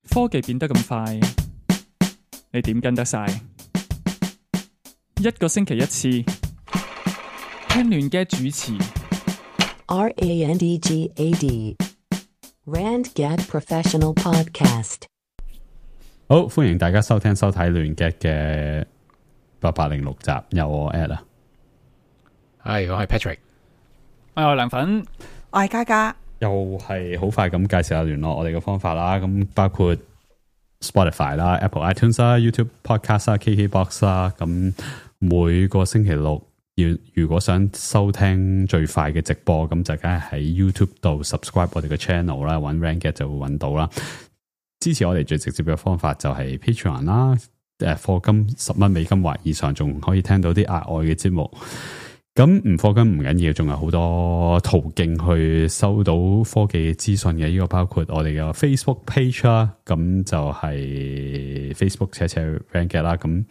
科技變得咁快，你點跟得晒？一個星期一次，聽亂嘅主持。RANDGAD RandGad Professional Podcast。好，歡迎大家收聽收睇亂 gad 嘅806集，有我 At 啊，係我係 Patrick，我係梁粉，我係嘉嘉，又係好快咁介紹下聯絡我哋嘅方法啦。咁包括 Spotify 啦、Apple iTunes 啦、YouTube Podcast 啦、KKBox 啦。咁每個星期六如果想收聽最快嘅直播，咁就梗係喺 YouTube 度 subscribe 我哋嘅 channel 啦，揾 RandGad 就會揾到啦。支持我哋最直接嘅方法就係 Patreon 啦，課金$10或以上，仲可以聽到啲額外嘅節目。咁唔課金唔緊要，仲有好多途徑去收到科技資訊嘅。呢個包括我哋嘅 Facebook page 啦，咁就係 Facebook /RandGad 啦。咁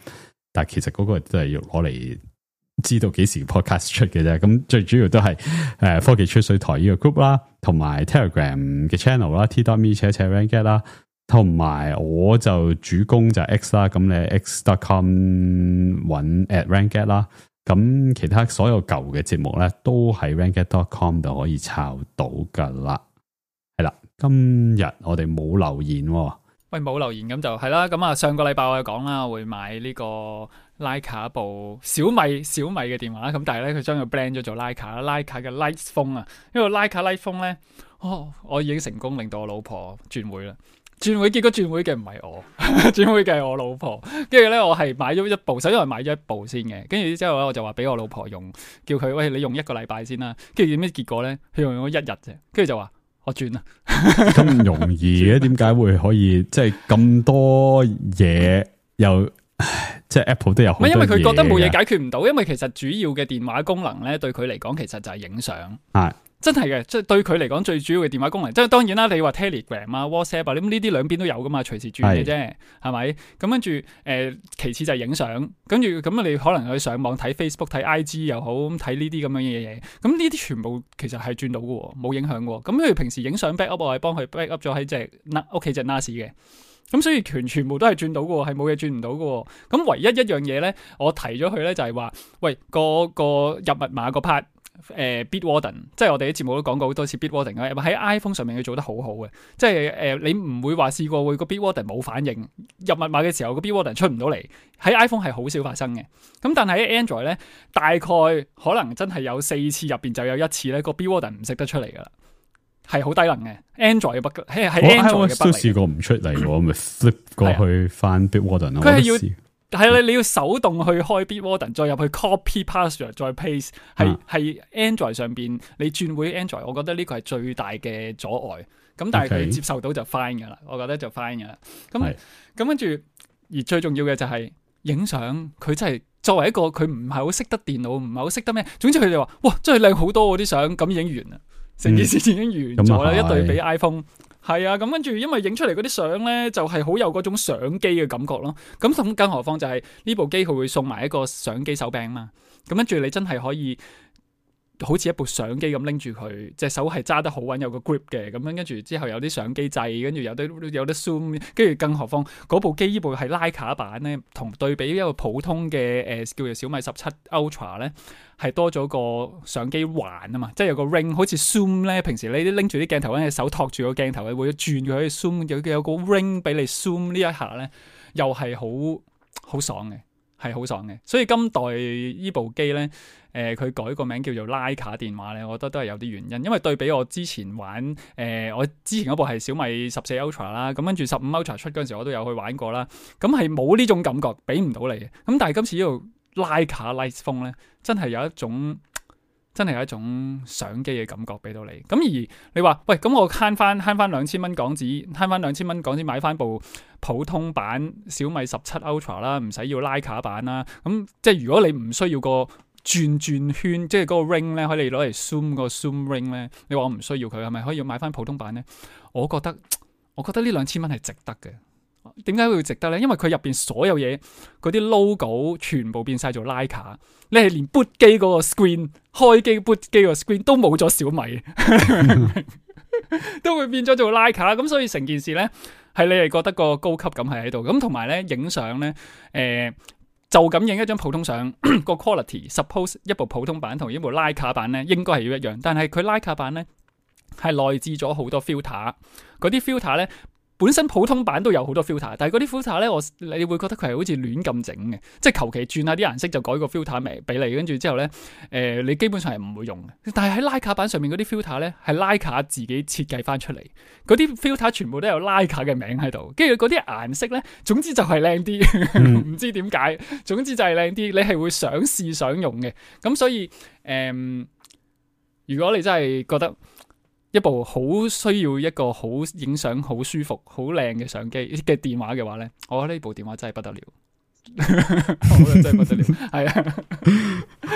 但係其實嗰個都係要攞嚟知道幾時 podcast 出嘅啫。咁最主要都係科技吹水台呢個 group 啦，同埋 Telegram 嘅 channel 啦，t.me/RandGad 啦。同埋我就主攻就係 X 啦，咁你 x.com 揾 @RandGad 啦，咁其他所有舊嘅節目咧都喺 RandGad.com 就可以抄到噶啦。係啦，今日我哋冇留言喎。喂，冇留言咁就係啦。咁啊，上個禮拜我講啦，我會買呢個 Leica 部小米嘅電話，咁但係咧佢將佢 brand 咗做 Leica 嘅 Light Phone 啊。因為 Leica Light Phone 咧，我已經成功令到我老婆轉會啦。結果轉會嘅唔係我，轉會嘅係我老婆。跟住咧，我係買咗一部，首先我係買咗一部先嘅。跟住之後咧，我就話俾我老婆用，叫佢喂，你用1個禮拜先啦。跟住點知結果咧，佢用咗1日啫。跟住就話我轉啦。咁容易嘅，點解會可以即係咁多嘢又即係 Apple 都有好多嘢？因為佢覺得冇嘢解決唔到，因為其實主要嘅電話功能咧，對佢嚟講其實就係影相。係。真係嘅，即係對佢嚟講最主要嘅電話功能，即係當然啦。你話 Telegram 啊、WhatsApp 啊，咁呢啲兩邊都有噶嘛，隨時轉嘅啫，係咪？咁跟住其次就係影相，跟住咁你可能去上網睇 Facebook、睇 IG 又好，咁睇呢啲咁樣嘅嘢。咁呢啲全部其實係轉到嘅，冇影響嘅。咁佢平時影相 backup，我係幫佢 backup 咗喺隻屋企隻 NAS 嘅。咁所以全部都係轉到嘅，係冇嘢轉唔到嘅。咁唯一一樣嘢咧，我提咗佢咧就係話，喂，個入密碼個 part。Bitwarden， 即係我哋啲節目都講過好多次 Bitwarden 喺 iPhone 上面佢做得好好嘅，即係你唔會話試過會個 Bitwarden 冇反應，入密碼嘅時候個 Bitwarden 出唔到嚟，喺 iPhone 係好少發生嘅。咁但係喺 Android 咧，大概可能真係有4次入邊就有1次咧個 Bitwarden 唔識得出嚟噶啦，係好低能嘅。Android 嘅 bug 係 Android 嘅 bug 都試過唔出嚟，我咪 flip 過去翻 Bitwarden 咯。佢係要。係啦，你要手動去開 Bitwarden，再入去 copy password，再 paste，係 Android 上邊你轉會 Android，我覺得呢個係最大嘅阻礙。咁但係佢接受到就 fine 噶啦，我覺得就 fine 噶啦。咁跟住，而最重要嘅就係影相，佢真係作為一個佢唔係好識得電腦，唔係好識得咩，總之佢哋話哇真係靚好多啲相，咁影完啦，成件事已經完咗啦，一對比 iPhone。係啊，咁跟住，因為影出嚟嗰啲相咧，就係好有嗰種相機嘅感覺咯。咁更何況就係呢部機佢會送埋一個相機手柄嘛。咁跟住你真係可以好似一部相機咁拎住佢，隻手係揸得好穩，有個 grip 嘅。咁樣跟住之後有啲相機掣，跟住有得 zoom。跟住更何況嗰部機呢部係Leica版咧，同對比一個普通嘅叫做小米17 Ultra 咧。係多咗個相機環啊嘛，即係有個 ring， 好似 zoom 咧。平時你拎住啲鏡頭，跟住手托住個鏡頭，會轉佢可以 zoom，有個 ring 俾你 zoom 呢一下咧，又係好爽嘅，係好爽嘅。所以今代呢部機咧，佢改個名叫做 Leica 電話咧，我覺得都係有啲原因。因為對比我之前玩我之前嗰部係小米14 Ultra 啦，咁跟住15 Ultra 出嗰陣時，我都有去玩過啦。咁係冇呢種感覺，俾唔到你嘅。咁但係今次呢度Leica Light Phone 咧，真係有一種相機嘅感覺俾到你。咁而你話喂，咁我慳翻$2000港紙，慳翻$2000港紙買翻部普通版小米17 Ultra 啦，唔使要Leica版啦。咁即係如果你唔需要個轉圈，即係嗰個 ring 咧，可以攞嚟 zoom 個 zoom ring 咧，你話我唔需要佢，係咪可以買翻普通版咧？我覺得呢$2000係值得嘅。點解會值得咧？因為佢入邊所有嘢嗰啲 logo 全部變晒做 Leica， 你係連 boot 機嗰個 screen 開機 boot 機個 screen 都冇咗小米，都會變咗做 Leica。咁所以成件事咧係你係覺得個高級感係喺度。咁同埋咧影相咧，就咁影一張普通相個 quality，suppose 一部普通版同一部徠卡版咧應該係要一樣，但係佢徠卡版咧係內置咗好多 filter， 嗰啲 filter 咧。本身普通版都有好多 filter， 但係嗰啲 filter 咧，你會覺得佢係好似亂咁整嘅，即係求其轉下啲顏色就改個 filter 俾你，跟住之後咧，你基本上係唔會用嘅。但係喺徠卡版上面嗰啲 filter 咧，係徠卡自己設計翻出嚟，嗰啲 filter 全部都有徠卡嘅名喺度，跟住嗰啲顏色咧，總之就係靚啲，唔知點解，總之就係靚啲，你係會想試想用嘅。咁所以如果你真係覺得，一部好需要一個好影相好舒服好靚嘅相機嘅電話嘅話咧，我覺得呢部電話真係不得了，真係不得了，係啊，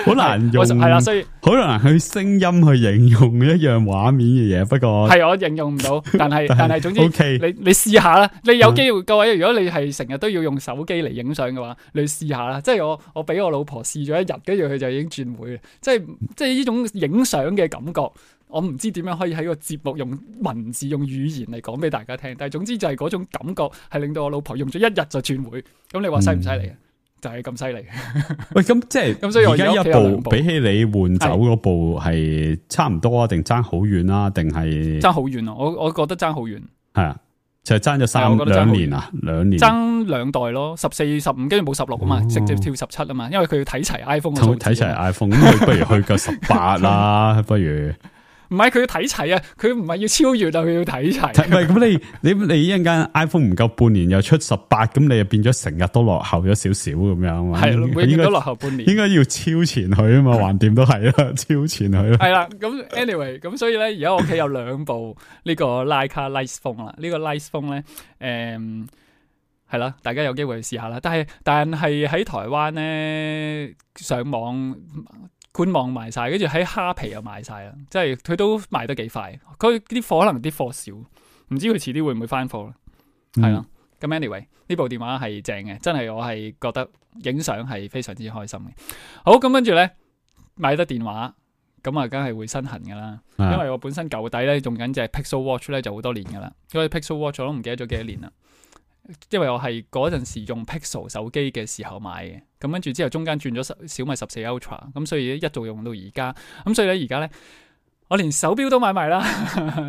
好難用，係啦，所以好難去聲音去形容一樣畫面嘅嘢。不過係我形容唔到，但係總之 okay，你試下啦，你有機會各位，如果你係成日都要用手機嚟影相嘅話，你試下啦。即係我俾我老婆試咗一日，跟住佢就已經轉會啦。即係呢種影相嘅感覺。我唔知點樣可以喺個節目用文字用語言嚟講俾大家聽，但係總之就係嗰種感覺係令到我老婆用咗一日就轉會，咁你話犀唔犀利啊？就係咁犀利。喂，咁即係咁，所以而家一部比起你換走嗰部係差唔多啊，定爭好遠啊？定係爭好遠啊？我覺得爭好遠。係啊，就係爭咗兩年啊，2年爭2代咯，14、15跟住冇16啊嘛，直接跳17啊嘛，因為佢要睇齊 iPhone 嘅數字。睇齊 iPhone，咁你不如去個18啦，不如。唔係佢要睇齊啊，佢唔係要超越啊，佢要睇齊。唔係咁你一陣間 iPhone 唔夠半年又出18，咁你又變咗成日都落後咗少少咁樣嘛？係，每年都落後半年。應該要超前佢啊嘛，橫掂都係啦，超前佢啦。係啦，咁 anyway， 咁所以咧，而家我屋企有2部呢個徠卡 Light Phone 啦，呢個 Light Phone 咧，係啦，大家有機會去試下啦。但係喺台灣咧上網。官網賣晒，跟住喺蝦皮又賣晒啦，即係佢都賣得幾快。佢啲貨可能啲貨少，唔知佢遲啲會唔會翻貨啦。係啦，咁 anyway 呢部電話係正嘅，真係我係覺得影相係非常之開心嘅。好，咁跟住咧買得電話，咁啊梗係會身痕噶啦，因為我本身舊底咧用緊隻 Pixel Watch 咧就好多年噶啦，因為 Pixel Watch 我都唔記得咗幾多年啦。因為我係嗰陣時用 Pixel 手機嘅時候買嘅，咁跟住之後中間轉咗小米14 Ultra， 咁所以一直用到而家，咁所以咧而家咧我連手錶都買埋啦，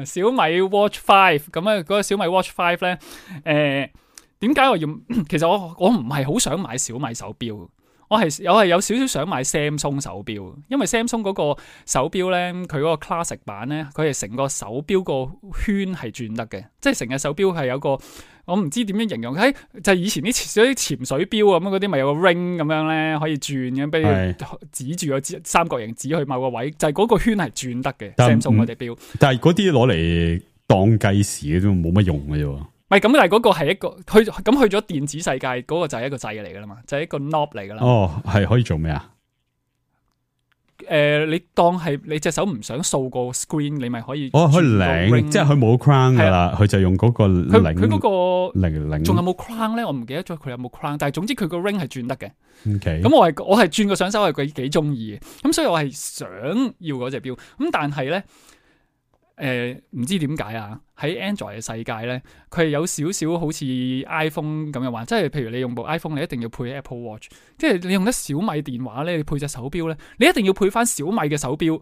小米 Watch 5，咁啊嗰個小米 Watch 5咧，點解我要？其實我唔係好想買小米手錶。我係有少少想買 Samsung 手錶，因為 Samsung 嗰個手錶咧，佢嗰個 Classic 版咧，佢係成個手錶個圈係轉得嘅，即係成隻手錶係有個我唔知點樣形容，就係以前啲潛水錶咁嗰啲，咪有個 ring 咁樣咧可以轉嘅，俾你指住個三角形指去某個位，就係嗰個圈係轉得嘅 Samsung 嗰隻錶。但係嗰啲攞嚟當計時都冇乜用嘅啫。唔係咁，但係嗰個係一個去咗電子世界嗰個就係一個掣嚟噶啦嘛，就係一個 knob 嚟噶啦。哦，係可以做咩啊？你當係你隻手唔想掃個 screen，你咪可以可以擰，即係佢冇 crown 噶啦，佢就用嗰個擰。佢嗰個擰仲有冇 crown 咧？我唔記得咗佢有冇 crown，但係總之佢個 ring 係轉得嘅。OK，咁我係轉個上手係幾中意嘅，咁所以我係想要嗰隻錶。咁但係咧。唔知點解啊？喺 Android 嘅世界咧，佢係有少少好似 iPhone 咁嘅話，即係譬如你用部 iPhone，你一定要配 Apple Watch， 即係你用得小米電話咧，你配隻手錶咧，你一定要配翻小米嘅手錶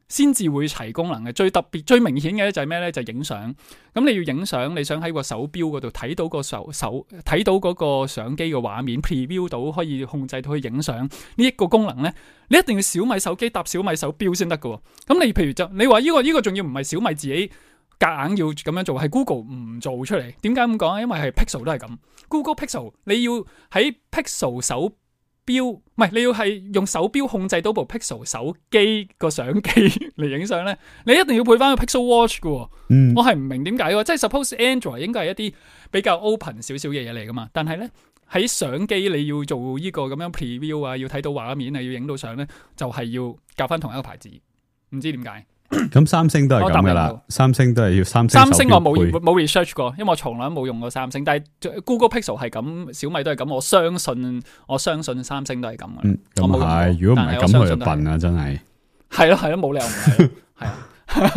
先至會齊功能嘅。最特別、最明顯嘅咧就係咩咧？就係影相。咁你要影相，你想喺個手錶嗰度睇到個睇到嗰個相機嘅畫面 preview 到，可以控制到去影相呢一個功能咧，你一定要小米手機搭小米手錶先得㗎。咁你譬如你話呢個仲要唔係小米自己夾硬要咁樣做，係 Google 唔做出嚟。點解咁講？因為係 Pixel 都係咁。Google Pixel 你要喺 Pixel 手錶，唔係你要係用手錶控制到部 Pixel 手機個相機嚟影相咧，你一定要配翻個 Pixel Watch 嘅。我係唔明點解喎，即係 suppose Android 應該係一啲比較 open 少少嘅嘢嚟噶嘛，但係咧喺相機你要做呢個咁樣 preview 啊，要睇到畫面啊，要影到相咧，就係要夾翻同一個牌子，唔知點解。咁三星都係咁噶啦，三星都係要三星我冇 research 過，因為我從來都冇用過三星。但係 Google Pixel 係咁，小米都係咁，我相信三星都係咁嘅。咁係，如果唔係咁佢就笨啊，真係。係咯，冇理由唔係。係啊，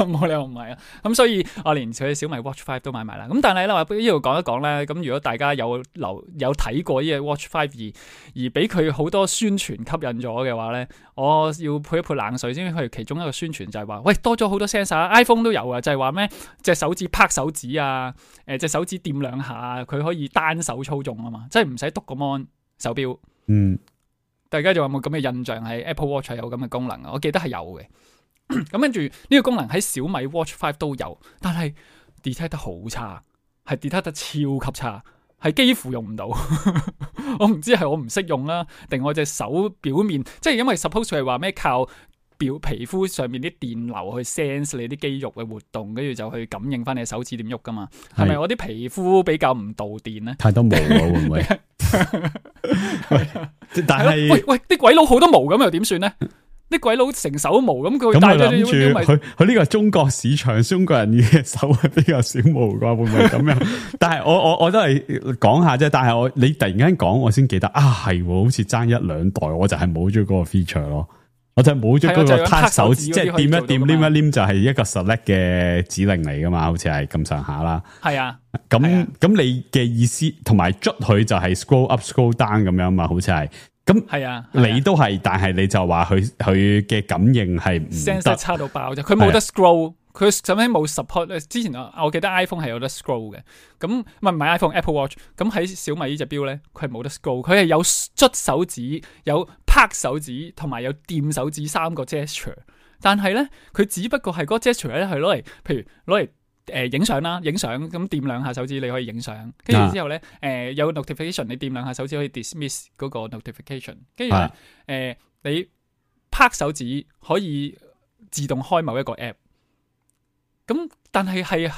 冇理由唔係啊。咁所以我連佢小米 Watch 5都買埋啦。咁但係咧，我呢度講一講咧，咁如果大家有睇過呢個 Watch 5而俾佢好多宣傳吸引咗嘅話咧，我要潑一潑冷水先。佢其中一個宣傳就係話，喂，多咗好多 sensor，iPhone 都有啊，就係話咩隻手指拍手指啊，隻手指掂兩下，佢可以單手操縱啊嘛，即係唔使篤個 mon 手錶。大家仲有冇咁嘅印象係 Apple Watch 有咁嘅功能啊？我記得係有嘅。咁跟住呢個功能喺小米 Watch 5都有，但係 detect 得好差，係 detect 得超級差，係幾乎用唔到。我唔知係我唔識用啦，定我隻手表面，即係因為 suppose 係話咩靠皮膚上面啲電流去 sense 你啲肌肉嘅活動，跟住就去感應翻你手指點喐噶嘛？係咪我啲皮膚比較唔導電咧？太多毛喎，會唔會？但係喂，啲鬼佬好多毛咁又點算咧？啲鬼佬成手毛咁，佢戴咗諗住佢呢個中國市場，中國人嘅手係比較少毛啩，會唔會咁樣？但係我都係講下啫。但係你突然間講，我先記得啊，係好似爭一兩代，我就係冇咗嗰個 feature 咯。我就係冇咗嗰個拍手指，即係掂一掂、黏一黏，就係一個 select 嘅指令嚟噶嘛，好似係咁上下啦。係啊，咁你嘅意思同埋捽佢就係 scroll up、scroll down 咁樣嘛，好似係。咁係啊，你都係，但係你就話佢嘅感應係唔得 ，sense 差到爆啫。佢冇得 scroll，佢甚至冇 support。之前我記得 iPhone 係有得 scroll 嘅，咁唔係 iPhone，Apple Watch。咁喺小米呢隻錶咧，佢係冇得 scroll，佢係有捽手指、有拍手指同埋有掂手指3個 gesture。但係咧，佢只不過係嗰個 gesture 咧係攞嚟，譬如攞嚟。影相啦，影相咁掂兩下手指你可以影相，跟住之後咧，有 notification 你掂兩下手指可以 dismiss 嗰個 notification， 跟住咧，你拍手指可以自動開某一個 app， 咁但係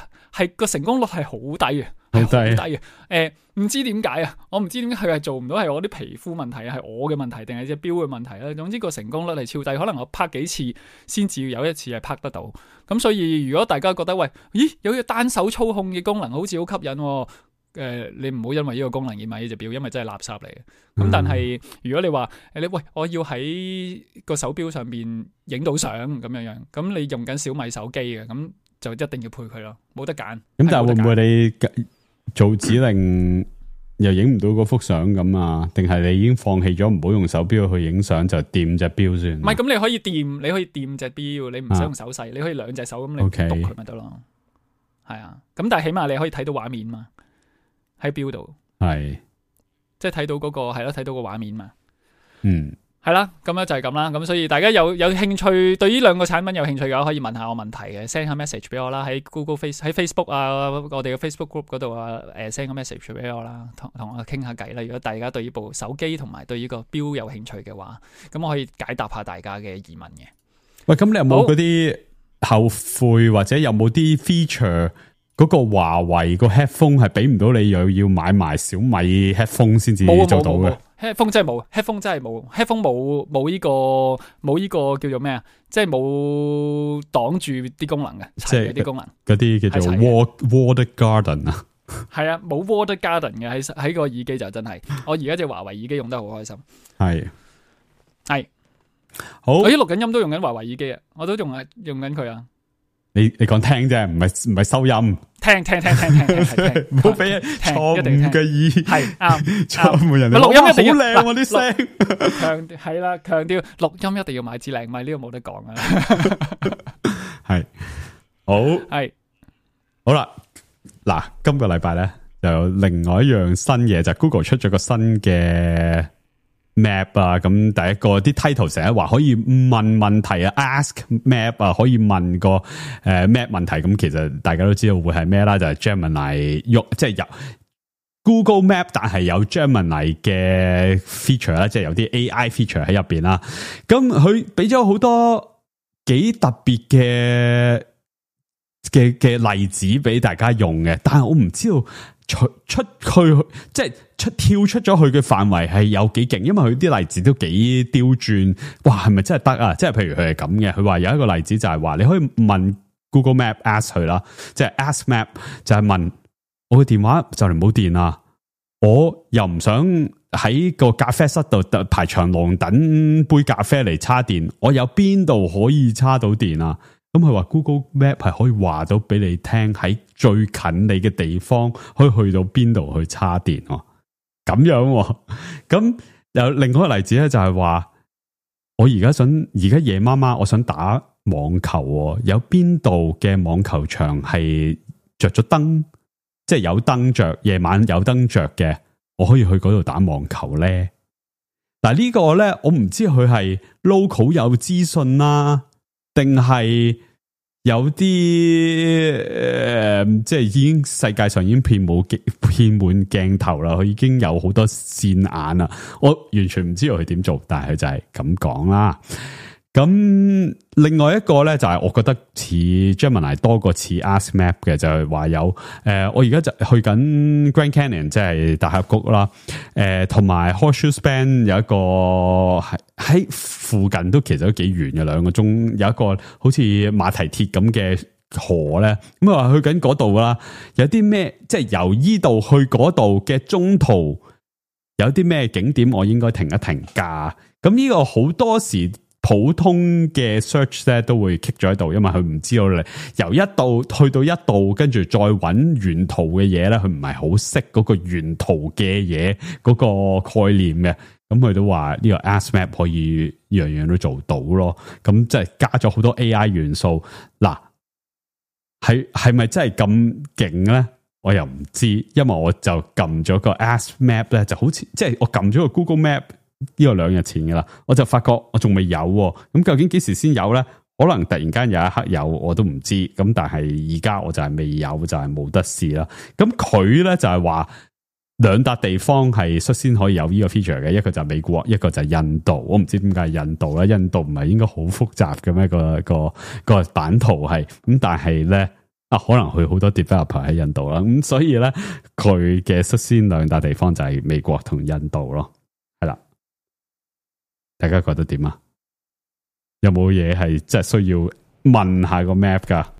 個成功率係好低嘅，係好低嘅，唔知點解啊，我唔知點解佢係做唔到，係我啲皮膚問題啊，係我嘅問題定係隻錶嘅問題咧？總之個成功率係超低，可能我拍幾次先至有一次係拍得到。咁所以如果大家覺得喂，咦，有個單手操控嘅功能好似好吸引喎，你唔好因為呢個功能而買呢隻錶，因為真係垃圾嚟嘅。咁但係如果你話喂，我要喺個手錶上邊影到相咁樣，咁你用緊小米手機嘅，咁就一定要配佢咯，冇得揀。咁但係會唔會你做指令又影唔到嗰幅相咁啊？定係你已經放棄咗唔好用手錶去影相，就掂隻錶先？唔係，咁你可以掂隻錶，你唔使用手勢，你可以兩隻手咁你篤佢咪得咯。係啊，咁但係起碼你可以睇到畫面嘛，喺錶度係，即係睇到嗰個係咯，睇到個畫面嘛。係啦，咁咧就係咁啦。咁所以大家有興趣對呢兩個產品有興趣嘅話，可以問下我問題嘅 ，send 下 message 俾我啦。喺 喺 Facebook 啊，我哋嘅 Facebook group 嗰度啊，send 個 message 俾我啦，同我傾下偈啦。如果大家對呢部手機同埋對呢個錶有興趣嘅話，咁我可以解答下大家嘅疑問嘅。喂，咁你有冇嗰啲後悔或者有冇啲 feature？嗰個華為個 headphone 係俾唔到你，又要買埋小米 headphone 先至做到嘅。headphone 真係冇 ，headphone 真係冇 ，headphone 冇呢個叫做咩啊？即係冇擋住啲功能嘅，即係啲功能。嗰啲叫做 Walled Garden 啊。係啊，冇 Walled Garden 嘅喺個耳機就真係。我而家隻華為耳機用得好開心。係好。我啲錄緊音都用緊華為耳機啊，我都用緊佢啊。你講聽啫，唔係收音。聽，唔好俾錯誤嘅意。係啱，錯誤人哋錄音一定要好靚喎啲聲。係啦，強調錄音一定要買支靚咪，呢個冇得講啊。係好啦，嗱，今個禮拜咧就有另外一樣新嘢，就係 Google 出咗個新嘅Map 啊，咁第一個啲 title 成日話可以問問題啊 ，ask Map 啊，可以問個Map 問題，咁其實大家都知道會係咩啦，就係 Gemini 即係有 Google Map， 但係有 Gemini 嘅 feature 啦，即係有啲 AI feature 喺入邊啦。咁佢俾咗好多幾特別嘅例子俾大家用嘅，但係我唔知道。出去即係跳出咗佢嘅範圍係有幾勁，因為佢啲例子都幾刁鑽。哇，係咪真係得啊？即係譬如佢係咁嘅，佢話有一個例子就係話你可以問 Google Map ask 佢啦，即係 ask Map 就係問我嘅電話就嚟冇電啦，我又唔想喺個咖啡室度排長龍等杯咖啡嚟叉電，我有邊度可以叉到電啊？咁佢話 Google Map 係可以話到俾你聽喺最近你嘅地方可以去到邊度去叉電喎，咁樣喎。咁有另外一個例子咧，就係話我而家夜媽媽我想打網球喎，有邊度嘅網球場係着咗燈，即係有燈着，夜晚有燈着嘅，我可以去嗰度打網球咧。但係呢個咧，我唔知佢係 local 有資訊啦，定係有啲即係已經世界上已經遍滿鏡頭啦，佢已經有好多線眼啦。我完全唔知道佢點做，但係佢就係咁講啦。咁另外一個咧就係我覺得似 Gemini 多過似 Ask Map 嘅，就係話有我而家就去緊 Grand Canyon 即係大峽谷啦，同埋 Horseshoe Bend 有一個喺附近都其實都幾遠嘅2個鐘，有一個好似馬蹄鐵咁嘅河咧，咁啊去緊嗰度啦，有啲咩即係由依度去嗰度嘅中途有啲咩景點我應該停一停㗎。咁呢個好多時普通嘅 search 咧都會 kick 咗喺度，因為佢唔知道你由一度去到一度，跟住再揾沿途嘅嘢咧，佢唔係好識嗰個沿途嘅嘢嗰個概念嘅。咁佢都話呢個 Ask Map 可以樣樣都做到咯。咁即係加咗好多 AI 元素。嗱，係咪真係咁勁咧？我又唔知，因為我就撳咗個 Ask Map 咧，就好似即係我撳咗個 Google Map。呢個2日前噶啦，我就發覺我仲未有，咁究竟幾時先有咧？可能突然間有一刻有，我都唔知。咁但係而家我就係未有，就係冇得試啦。咁佢咧就係話2笪地方係率先可以有呢個 feature 嘅，一個就係美國，一個就係印度。我唔知點解係印度咧，印度唔係應該好複雜嘅咩？個版圖係咁，但係咧可能佢好多 developer 喺印度啦，咁所以咧佢嘅率先2笪地方就係美國同印度咯。大家覺得點啊？有冇嘢係即係需要問下個 map 噶？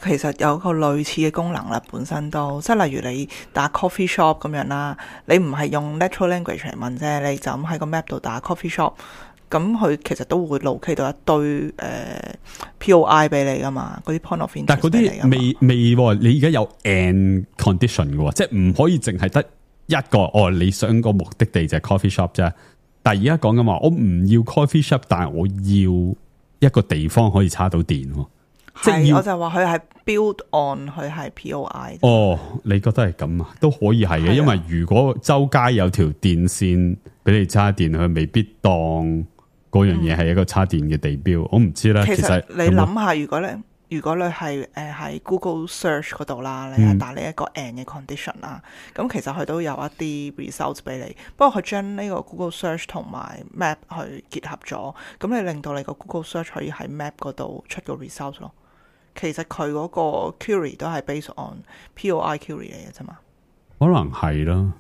其實有個類似嘅功能啦，本身都即係例如你打 coffee shop 咁樣啦，你唔係用 natural language 嚟問啫，你就咁喺個 map 度打 coffee shop，咁佢其實都會 locate 到一堆POI 俾你噶嘛，嗰啲 point of interest。但係嗰啲未，你而家有 and condition 嘅，即係唔可以淨係得一個你想個目的地就係 coffee shop 啫。但係而家講緊話，我唔要 coffee shop， 但係我要一個地方可以插到電。即係我就話佢係 build on 佢係 POI。你覺得係咁啊？都可以係嘅，因為如果周街有條電線俾你插電，佢未必當嗰樣嘢係一個插電嘅地標。我唔知啦。其實你諗下，如果你係喺 Google Search 嗰度啦，你係打呢一個 and 嘅 condition 啦，咁其實佢都有一啲 results 俾你。不過佢將呢個 Google Search 同埋 Map 去結合咗，咁你令到你個 Google Search 可以喺 Map 嗰度出個 result 咯。其實佢嗰個 query 都係 based on POI query 嚟嘅啫嘛。可能係啦。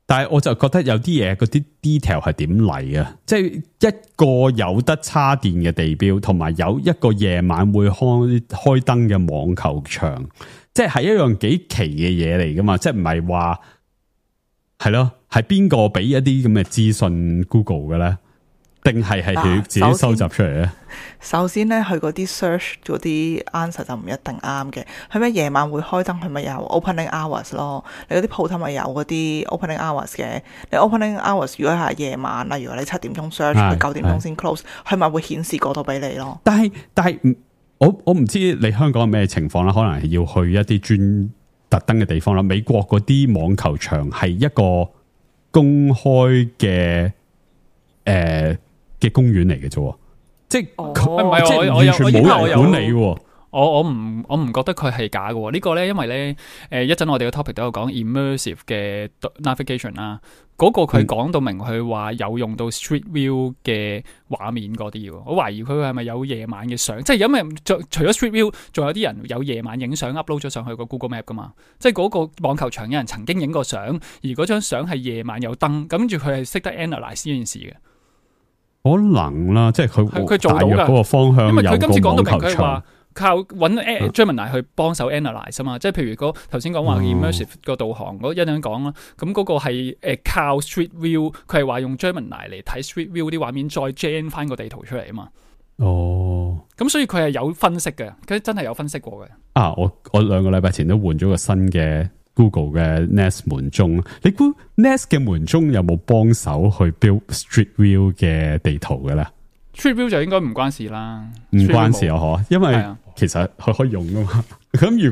但係我就覺得有啲嘢嗰啲 detail 係點嚟啊？即係一個有得叉電嘅地標，同埋有一個夜晚會開燈嘅網球場，即係一樣幾奇嘅嘢嚟噶嘛？即係唔係話係咯？係邊個俾一啲咁嘅資訊 Google 嘅咧？定係佢自己收集出嚟咧？首先咧，佢嗰啲 search 嗰啲 answer 就唔一定啱嘅。佢咩夜晚會開燈，佢咪有 opening hours 咯。你嗰啲鋪頭咪有嗰啲 opening hours 嘅。你 opening hours 如果係夜晚，例如話你7點鐘 search，佢9點鐘先 close，佢咪會顯示嗰度俾你咯。但係我唔知你香港係咩情況啦，可能係要去一啲特登嘅地方啦。美國嗰啲網球場係一個公開嘅嘅公園嚟嘅啫，即係唔係即係完全冇人管理喎。我唔覺得佢係假嘅。呢個咧，因為咧一陣我哋嘅 topic 都有講 immersive 嘅 navigation 啦。嗰個佢講到明，佢話有用到 Street View 嘅畫面嗰啲嘅。我懷疑佢係咪有夜晚嘅相，即係因為除咗 Street View，仲有啲人有夜晚影相 upload 咗上去個 Google Map 噶嘛。即係嗰個網球場有人曾經影過相，而嗰張相係夜晚有燈，跟住佢係識得 analyse 呢件事嘅。可能啦，即係佢做到嘅嗰個方向，因為佢今次講到明，佢係話靠揾 Gemini 去幫手 analyse 啊嘛，即係譬如頭先講話 immersive 個導航嗰一陣講啦，咁嗰個係靠 Street View， 佢係話用 Gemini 嚟睇 Street View 啲畫面，再 gen 翻個地圖出嚟啊嘛。哦，咁所以佢係有分析嘅，佢真係有分析過嘅。啊，我2個禮拜前都換咗個新嘅 Google 嘅 Nest 門鐘，你估 Nest 嘅門鐘有冇幫手去 build Street View 嘅地圖嘅咧？ Street View 就應該唔關事啦，唔關事啊，可，因為其實佢可以用噶嘛。咁如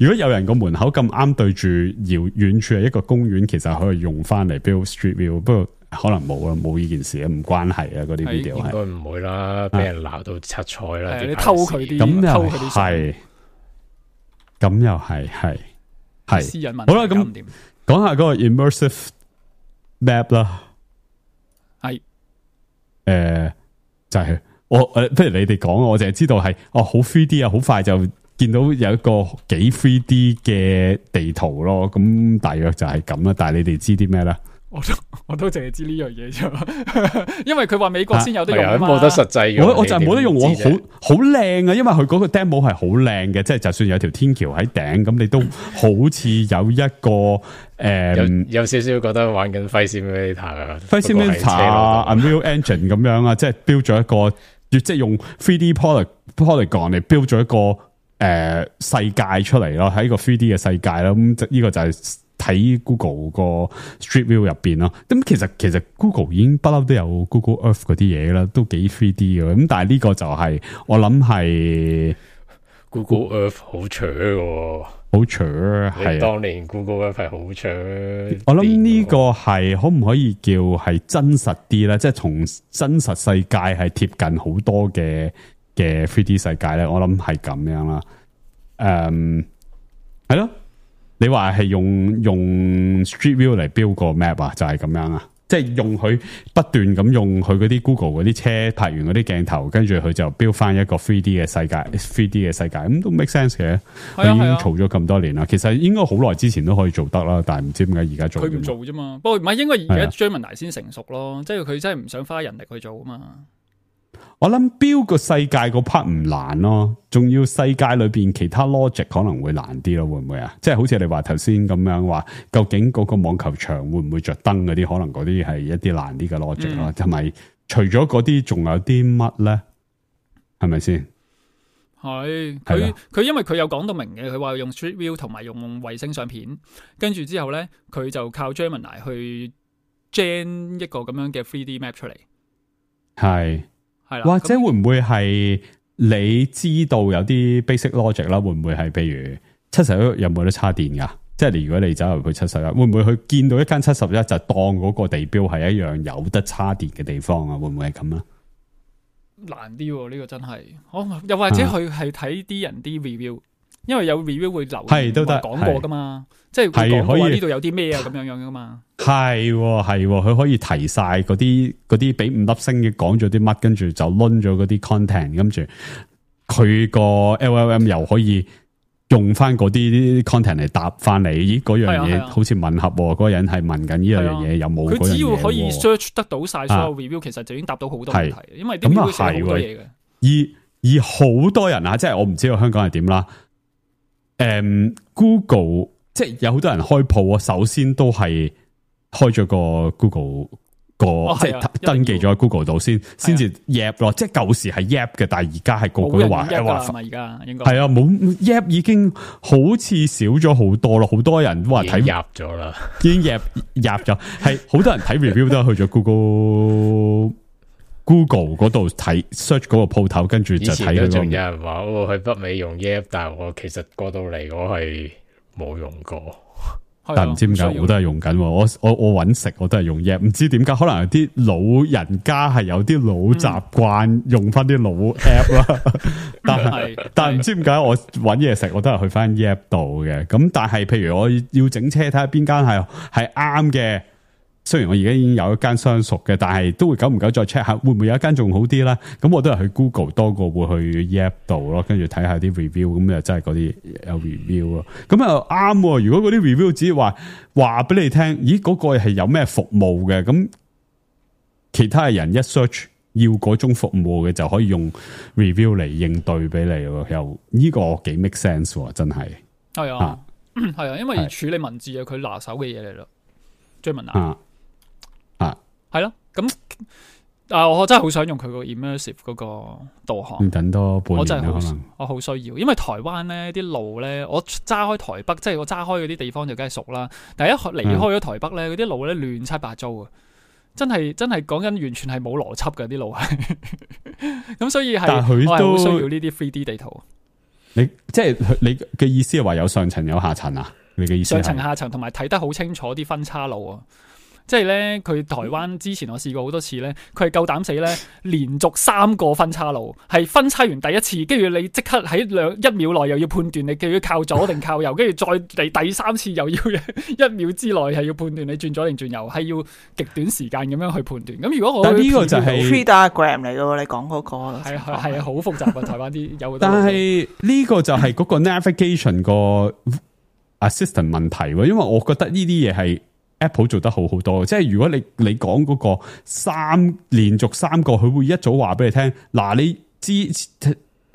果有人個門口咁啱對住遠處係一個公園，其實可以用翻嚟 build Street View，不過可能冇呢件事啊，唔關係啊，嗰啲 video 應該唔會啦，俾人鬧到七彩啦。你偷佢啲，咁偷又佢啲，咁又係私隱問好啦，咁講下嗰個 immersive map 啦，係就係不如你哋講，我淨係知道係好 3D 啊，好快就見到有一個幾 3D 嘅地圖咯，咁大約就係咁啦。但係你哋知啲咩咧？我都淨係知呢樣嘢啫，因為佢話美國先有得用啊嘛，冇得實際用。我就冇得用，我好靚啊，因為佢嗰個 demo 係好靚嘅，即係就算有條天橋喺頂，咁你都好似有一個有少少覺得玩緊 Flight Simulator 啊 Unreal Engine 咁樣啊，即係標咗一個，即係用 3D polygon 嚟標咗一個世界出嚟咯，喺個 3D 嘅世界啦。咁呢個就係睇 Google 個 Street View 入邊咯，咁其實 Google 已經不嬲都有 Google Earth 嗰啲嘢啦，都幾 3D 嘅，咁但係呢個就係我諗係 Google Earth 好扯嘅，好扯係。當年 Google Earth 係好扯，我諗呢個係可唔可以叫係真實啲咧？即係同真實世界係貼近好多嘅 3D 世界咧，我諗係咁樣啦。係咯。你話係用 Street View 嚟 build 個 map 啊，就係咁樣啊，即係用佢不斷咁用佢嗰啲 Google 嗰啲車拍完嗰啲鏡頭，跟住佢就 build 翻一個 3D 嘅世界，3D 嘅世界咁都 make sense 嘅。佢已經嘈咗咁多年啦，其實應該好耐之前都可以做得啦，但係唔知點解而家做。佢唔做啫嘛，不過唔係應該而家 Gemini 先成熟咯，即係佢真係唔想花人力去做啊嘛。我諗 build 個世界個 part 唔難咯，仲要世界裏邊其他 logic 可能會難啲咯，會唔會啊？即係好似你話頭先咁樣話，究竟嗰個網球場會唔會着燈嗰啲？可能嗰啲係一啲難啲嘅 logic 咯。同埋除咗嗰啲，仲有啲乜咧？係咪先？係佢因為佢有講到明嘅，佢話用 Street View 同埋用衛星相片，跟住之後咧，佢就靠 Gemini 去 gen 一個咁樣嘅 3D map 出嚟。係。係或者會唔會係你知道有啲 basic logic 啦？會唔會係譬如71有冇得叉電噶？即係如果你走入去71，會唔會去見到一間71就當嗰個地標係一樣有得叉電嘅地方啊？會唔會係咁啊？難啲喎，呢個真係，又或者佢係睇啲人啲 review，因為有 review 會留言都得講過噶嘛，即係講過呢度有啲咩啊咁樣樣噶嘛。係，佢可以提晒嗰啲俾5粒星嘅講咗啲乜，跟住就掄咗嗰啲 content， 跟住佢個 LLM 又可以用翻嗰啲 content 嚟答翻你。咦，嗰樣嘢好似吻合，嗰個人係問緊呢樣嘢，有冇？佢只要可以 search 得到晒所有 review，其實就已經答到好多問題。因為啲 review 寫好多嘢嘅。而好多人啊，即係我唔知道香港係點啦。Google 即係有好多人開鋪啊，首先都係開咗個 Google 即係登記咗喺 Google 度先至 Yap 咯，即係舊時係 Yap 嘅，但係而家係個個都話而家應該係啊，冇 Yap 已經好似少咗好多咯，好多人都話睇 Yap 咗啦，已經 Yap 咗，係好多人睇 review 都係去咗 Google 嗰度睇 search 嗰個鋪頭，跟住就睇。仲有人話去北美用 Yap， 但係我其實過到嚟我係冇用過。但唔知點解我都係用緊，我搵食我都係用 Yap， 唔知點解，可能有啲老人家係有啲老習慣用翻啲老 app 啦。但係唔知點解我搵嘢食我都係去翻 Yap 度嘅。咁但係譬如我要整車睇下邊間係啱嘅。雖然我而家已經有一間相熟嘅，但係都會久唔久再 check 下，會唔會有一間仲好啲啦？咁我都係去 Google 多過會去 Yap 度咯，跟住睇下啲 review， 咁又真係嗰啲有 review 咯。咁又啱。如果嗰啲 review 只係話俾你聽，咦嗰個係有咩服務嘅？咁其他人一 search 要嗰種服務嘅，就可以用 review 嚟應對俾你咯。又呢個幾 make sense， 真係。係啊，係啊，因為處理文字係佢拿手嘅嘢嚟咯。Gemini。係咯，咁但我真係好想用佢個 immersive 嗰個導航。等多半我真係年啦可能。我好需要，因為台灣咧啲路咧，我揸開台北，即係我揸開嗰啲地方就梗係熟啦。但係一離開咗台北咧，嗰啲路咧亂七八糟啊！真係講緊完全係冇邏輯嘅啲路係。咁所以係但係佢都我係好需要呢啲 3D 地圖。你即係你嘅意思係話有上層有下層啊？你嘅意思係上層下層同埋睇得好清楚啲分岔路啊！即係咧，佢台灣之前我試過好多次咧，佢係夠膽死咧，連續3個分岔路，係分岔完第一次，跟住你即刻喺1秒內又要判斷你究竟要靠左定靠右，跟住再嚟第3次又要1秒之內係要判斷你轉左定轉右，係要極短時間咁樣去判斷。咁如果我但呢個就係 tree diagram 嚟嘅喎，你講嗰個係啊，好複雜啊！台灣啲有好多，但係呢個就係嗰個 navigation 個 assistant 問題喎，因為我覺得呢啲嘢係 Apple 做得好好多，即係如果你講嗰個連續3個，佢會一早話俾你聽，嗱你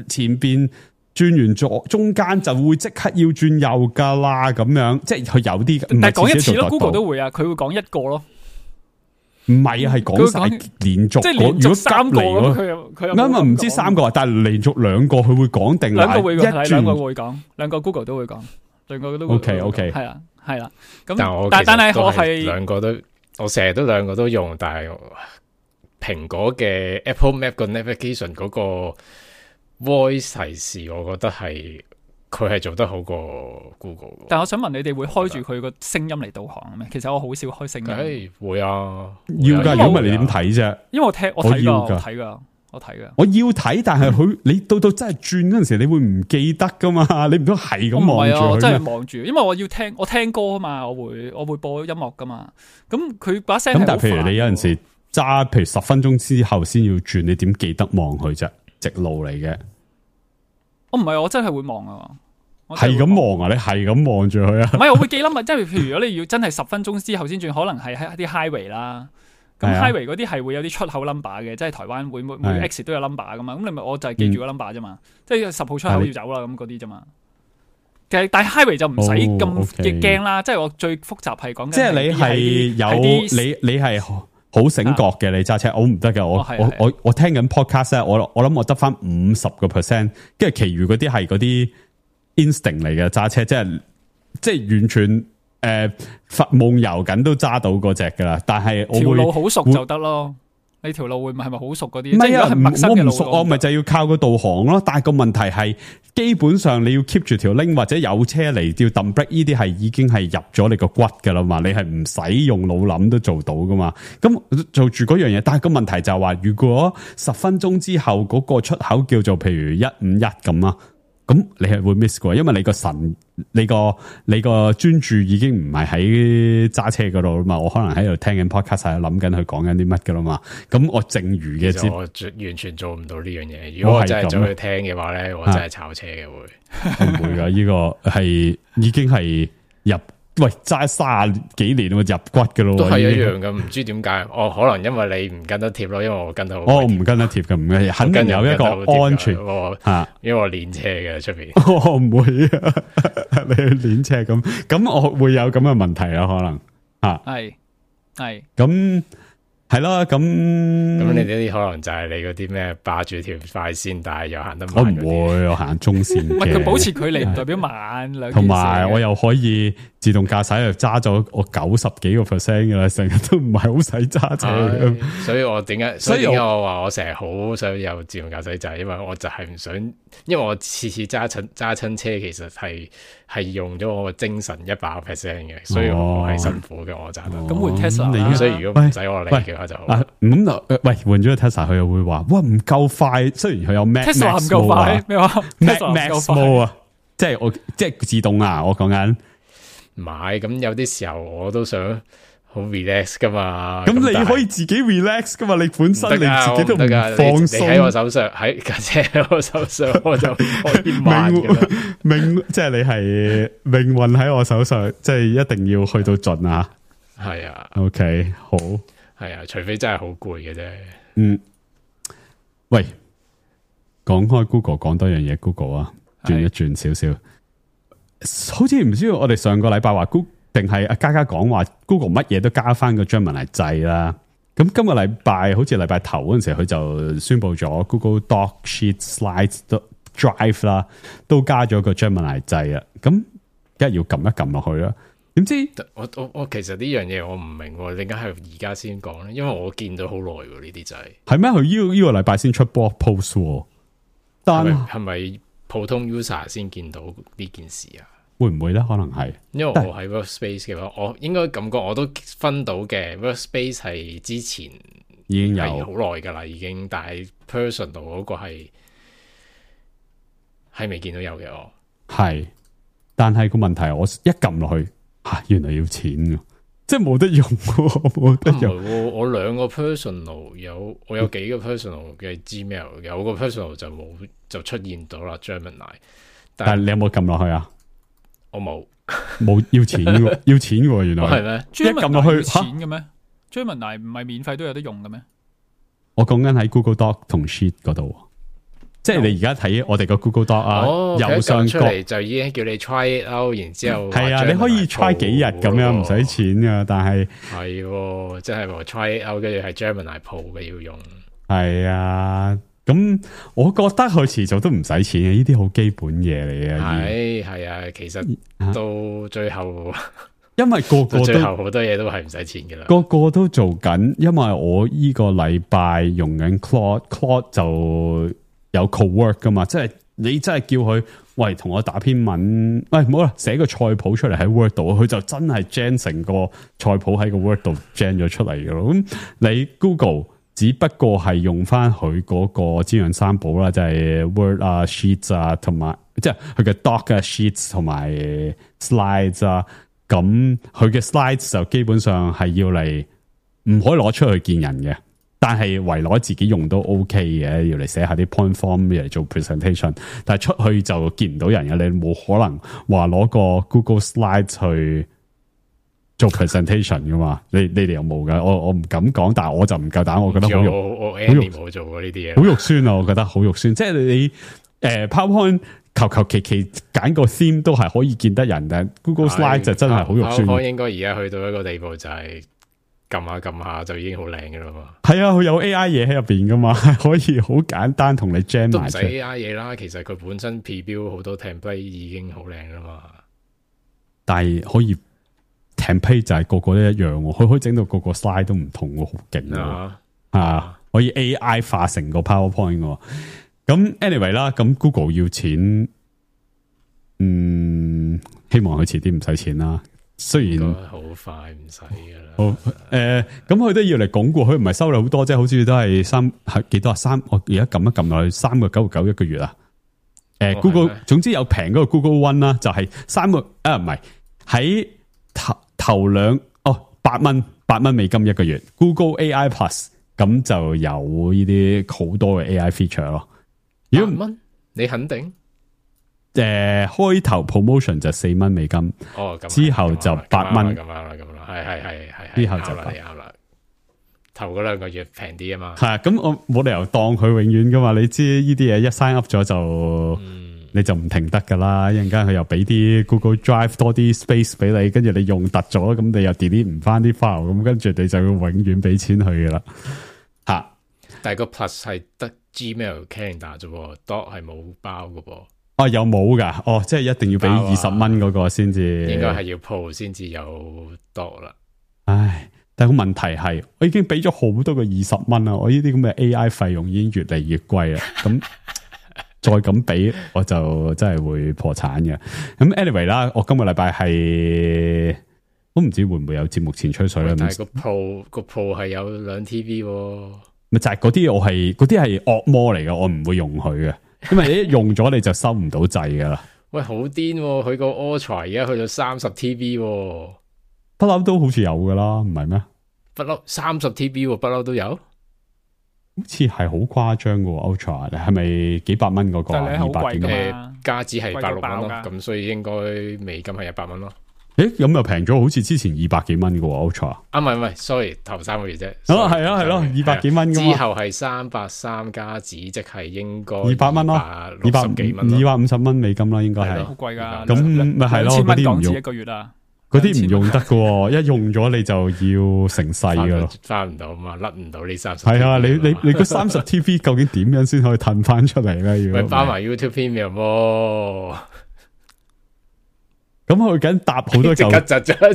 前邊轉完左，中間就會即刻要轉右噶啦，咁樣即係佢有啲，但係講一次咯 ，Google 都都會啊，佢會講1個咯。唔係啊，係講晒連續，即係連續3個咁，佢啱啊，唔知3個，但係連續2個佢會講定2個會講，一2個會講，2個 Google 都會講，2個都會 OK 係啦。係啦，咁但係我係兩個都，我成日都2個都用，但係蘋果嘅 Apple Map 個 navigation 嗰個 voice 提示，我覺得係佢係做得好過 Google。但我想問你哋會開住佢個聲音嚟導航咩？其實我好少開聲音。會啊，要㗎，如果唔係你點睇啫？因為我睇㗎。我要睇，但係佢你到真係轉嗰陣時，你會唔記得噶嘛？你唔通係咁望住佢咩？我真係望住，因為我聽歌啊嘛，我會播音樂噶嘛。咁佢把聲咁，但係譬如你有陣時揸，譬如10分鐘之後先要轉，你點記得望佢啫？直路嚟嘅，我真係會望啊！係咁望啊！你係咁望住佢啊？唔係，我會記冧啊！即係譬如如果你要真係10分鐘之後先轉，可能係喺一啲 highway 啦。咁 highway 嗰啲係會有啲出口 number 嘅，即係台灣會每 exit 都有 number 噶嘛。咁你咪我就係記住個 number 啫嘛。即係10號出口要走啦，咁嗰啲啫嘛。其實但係 highway 就唔使咁驚啦。即係我最複雜係講緊，即係你係有你係好醒覺嘅，你揸車我唔得嘅。我聽緊 podcast 咧，我諗我得翻50%，跟住其餘嗰啲係嗰啲 instinct 嚟嘅揸車，即係完全。發夢遊緊都揸到嗰隻噶啦，但係我條路好熟就得咯。你條路係咪好熟嗰啲？唔係啊，我唔熟，我咪就要靠個導航咯。但係個問題係，基本上你要 keep 住條 link 或者有車嚟要揼 brake，呢啲係已經係入咗你個骨噶啦嘛。你係唔使用腦諗都做到噶嘛。咁做住嗰樣嘢，但係個問題就係話，如果10分鐘之後嗰個出口叫做譬如151咁啊。咁你係會 miss 過，因為你個專注已經唔係喺揸車嗰度啦嘛，我可能喺度聽緊 podcast，諗緊佢講緊啲乜噶啦嘛。咁我剩餘嘅，我完全做唔到呢樣嘢。如果我真係走去聽嘅話咧，我真係炒車嘅會。唔會噶，呢個係已經係入。喂，揸30幾年入骨嘅咯，都係一樣嘅，唔知點解。可能因為你唔跟得貼咯，因為我跟得好。我唔跟得貼嘅，唔跟，肯定有一個安全吓，因為我練車嘅出邊。我唔會啊，你去練車咁我會有咁嘅問題啊，可能係咁。係咯，咁你呢啲可能就係你嗰啲咩霸住條快線，但係又行得慢。我唔會，我行中線嘅。佢保持距離唔代表慢。同埋我又可以自動駕駛，又揸咗我90幾個%噶啦，成日都唔係好使揸車。所以我點解我話我成日好想有自動駕駛，就係因為我就係唔想，因為我次揸親車，其實係用咗我嘅精神100%嘅，所以我係辛苦嘅，我揸得。咁換 Tesla，所以如果唔使我理嘅話就好。喂，換咗個 Tesla 佢又會話，哇唔夠快，雖然佢有 Tesla 唔夠快咩話 Max Mode 啊，即係自動啊，我講緊。唔係，咁有啲時候我都想好 relax 噶嘛。咁你可以自己 relax 噶嘛，你本身你自己都唔放鬆。你喺我手上，喺架車喺我手上，我就可以慢噶啦。即係你係命運喺我手上，即係一定要去到盡啊。係啊 ，OK，好。係啊，除非真係好攰嘅啫。喂，講開 Google， 講多樣嘢 Google 啊，轉一轉少少。好似唔知道我哋上個禮拜話 Google 定係阿嘉嘉講話 Google 乜嘢都加翻個 Gemini 掣啦。咁今個禮拜好似禮拜頭嗰陣時，佢就宣布咗 Google Doc Sheet Slides Drive 啦，都加咗個 Gemini 掣啊。咁梗係要撳一撳落去啦。點知我其實呢樣嘢我唔明，點解係而家先講咧？因為我見到好耐喎呢啲掣。係咩？佢呢個禮拜先出 blog post，但係咪普通 user 先見到呢件事啊？會唔會咧？可能係，因為我喺 Workspace 嘅話，我應該感覺我都分到嘅 Workspace 係之前已經有好耐噶啦，已經，但係 Personal 嗰個係未見到有嘅我。係，但係個問題係我一撳落去，原來要錢嘅，即係冇得用，冇得用。我兩個 Personal 我有幾個 Personal 嘅 Gmail， 有個 Personal 就出現到啦 Gemini， 但係你有冇撳落去啊？我冇要錢嘅，要錢嘅原來係咩？一撳落去錢嘅咩？Gemini唔係免費都有得用嘅咩？我講緊喺 Google Doc 同 Sheet 嗰度，即係你而家睇我哋個 Google Doc 啊，右上角就已經叫你 try it out， 然之後係啊，你可以 try 幾日咁樣唔使錢噶，但係係即係 try it out， 跟住係 Gemini Pro 嘅要用，係啊。咁我覺得佢遲早都唔使錢嘅，呢啲好基本嘢嚟嘅。係啊，其實到最後，因為個個都最後好多嘢都係唔使錢嘅啦，個個都做緊。因為我呢個禮拜用緊 Claude 就有 co-work 噶嘛，即係你真係叫佢喂同我打篇文，喂唔好啦，寫個菜譜出嚟喺 Word 度，佢就真係 gen 成個菜譜喺個 Word 度 gen 咗出嚟嘅咯。咁你 Google 只不過係用翻佢嗰個資源三寶啦，就係 Word 啊、Sheets 啊，同埋即係佢嘅 Doc 啊、Sheets 同埋 Slides 啊。咁佢嘅 Slides 就基本上係要嚟唔可以攞出去見人嘅，但係圍攞自己用都 OK 嘅，要嚟寫下啲 point form 嚟做 presentation。但係出去就見唔到人嘅，你冇可能話攞個 Google Slides 去做 presentation 噶嘛？你哋有冇噶？我唔敢講，但係我就唔夠膽，我覺得好肉，我 Andy 冇做過呢啲嘢，好肉酸啊！我覺得好肉酸，即係你PowerPoint 求其揀個 theme 都係可以見得人，但 Google Slide 就真係好肉酸。PowerPoint 應該而家去到一個地步就係撳下就已經好靚嘅啦嘛。係啊，佢有 AI 嘢喺入邊噶嘛，可以好簡單同你 jam 埋出。都唔使 AI 嘢啦，其實佢本身 preview 好多 template 已經好靚啦嘛。但係可以 template 就係個個都一樣，佢可以整到個個 slide 都唔同，好勁啊！可以 AI 化成個 PowerPoint 喎。咁 anyway 啦，咁 Google 要錢，希望佢遲啲唔使錢啦。雖然好快唔使噶啦。好咁佢都要嚟鞏固，佢唔係收你好多啫，好似都係幾多啊？我而家撳一撳落去，3.99一個月啊。Google 總之有平嗰個 Google One 啦，就係3個唔係喺頭兩8蚊美金一個月 Google AI Plus， 咁就有呢啲好多嘅 AI feature 咯。如果8蚊，你肯定？開頭 promotion 就4蚊美金，之後就8蚊，咁啦，係，之後就啱啦。頭嗰2個月平啲啊嘛，係啊，咁我冇理由當佢永遠噶嘛，你知呢啲嘢一 sign up 咗就，你就唔停得噶啦，一陣間佢又俾啲 Google Drive 多啲 space 俾你，跟住你用突咗，咁你又 delete 唔翻啲 file，咁跟住你就要永遠俾錢佢噶啦，吓。但係個 Plus 係得 Gmail Calendar 啫，Doc 係冇包噶噃。哦，有冇噶？即係一定要俾20蚊嗰個先至，應該係要 Pro 先至有 Doc 啦。唉，但係個問題係，我已經俾咗好多個20蚊啦，我呢啲咁嘅 AI 費用已經越嚟越貴啦。咁再咁俾，我就真係會破產嘅。咁 anyway 啦，我今個禮拜係，我唔知會唔會有節目前吹水啦。但係個 Pro 係有2 TB，咪就係嗰啲嗰啲係惡魔嚟嘅，我唔會用佢嘅。因為你一用咗你就收唔到掣噶啦。喂，好癲！佢個 Ultra 而家去到30 TB，不嬲都好似有噶啦，唔係咩？不嬲30 TB，不嬲都有。好似係好誇張噶 Ultra， 係咪幾百蚊嗰個？200幾蚊？加紙係160蚊咯，咁所以應該美金係100蚊咯。咁又平咗，好似之前200幾蚊噶 Ultra。唔係，sorry，頭3個月啫。係咯，200幾蚊。之後係330加紙，即係應該200蚊咯，260幾蚊，250蚊美金啦，應該係。好貴噶。咁咪係咯， 2000蚊港紙一個月啊。嗰啲唔用得噶，一用咗你就要成世噶咯，翻唔到嘛，甩唔到呢30。係啊，你個30 TB 究竟點樣先可以褪翻出嚟咧？如果咪包埋 YouTube Premium 喎，咁佢緊搭好多嚿，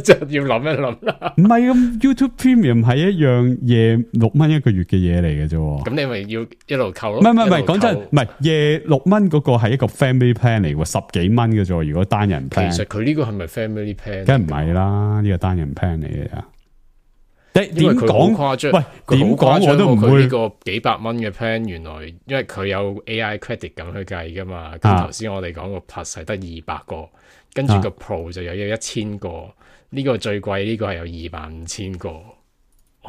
就要諗一諗啦。唔係咁 YouTube Premium 係一樣夜6蚊一個月嘅嘢嚟嘅啫。咁你咪要一路扣咯。唔係，講真，唔係夜6蚊嗰個係一個 family plan 嚟喎，10幾蚊嘅啫。如果單人 plan，其實佢呢個係咪 family plan？梗唔係啦，呢個單人 plan 嚟嘅啊。點講誇張？喂，點講我都唔會。佢呢個幾百蚊嘅 plan，原來因為佢有 AI credit 咁去計噶嘛。咁頭先我哋講個 Plus 係得200個。跟住個 Pro 就有1000個，呢個最貴呢個係有25000個，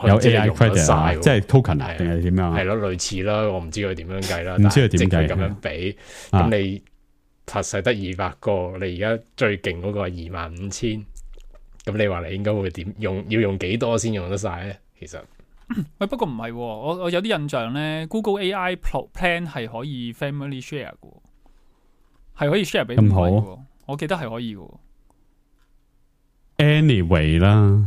有 AI credit 即係 token 啊，定係點樣？係咯，類似啦，我唔知佢點樣計啦，唔知佢點計咁樣比。咁你 Plus 係得200個，你而家最勁嗰個係25000，咁你話你應該會點用？要用幾多先用得晒咧？其實，喂，不過唔係，我有啲印象咧 ，Google AI Plan 係可以 family share 嘅，係可以 share 俾咁好。我記得係可以嘅。Anyway 啦，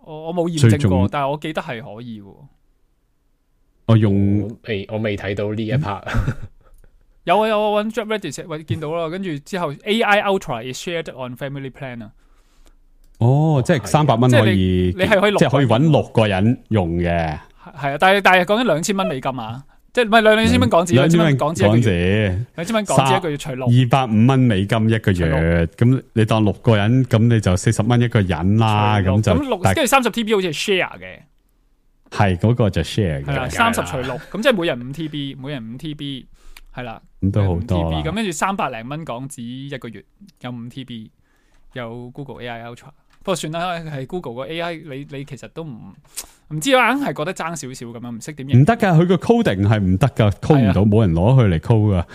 我冇驗證過，但係我記得係可以嘅。我未睇到呢一 part。有啊，我揾 Job Reddit 見到啦，跟住之後 AI Ultra is shared on family plan 啊。即係300蚊可以，你係可以即係可以揾6個人用嘅。係啊，但係講緊$2000美金啊。即係唔係2000蚊港紙？2000蚊港紙，2000蚊港紙一個月除6 250蚊美金一個月，咁你當6個人，咁你就40蚊一個人啦，咁就跟住30 TB 好似係 share 嘅，係嗰個就 share 嘅，係啦，30除6，咁即係每人5 TB，每人5 TB，係啦，咁都好多啦。咁跟住300零蚊港紙一個月，有5 TB，有 Google AI Ultra。不過算啦，係 Google 個 AI，你其實都唔知啊，硬係覺得爭少少咁樣，唔識點。唔得噶，佢個 coding 係唔得噶，code 唔到，冇人攞佢嚟 code 噶。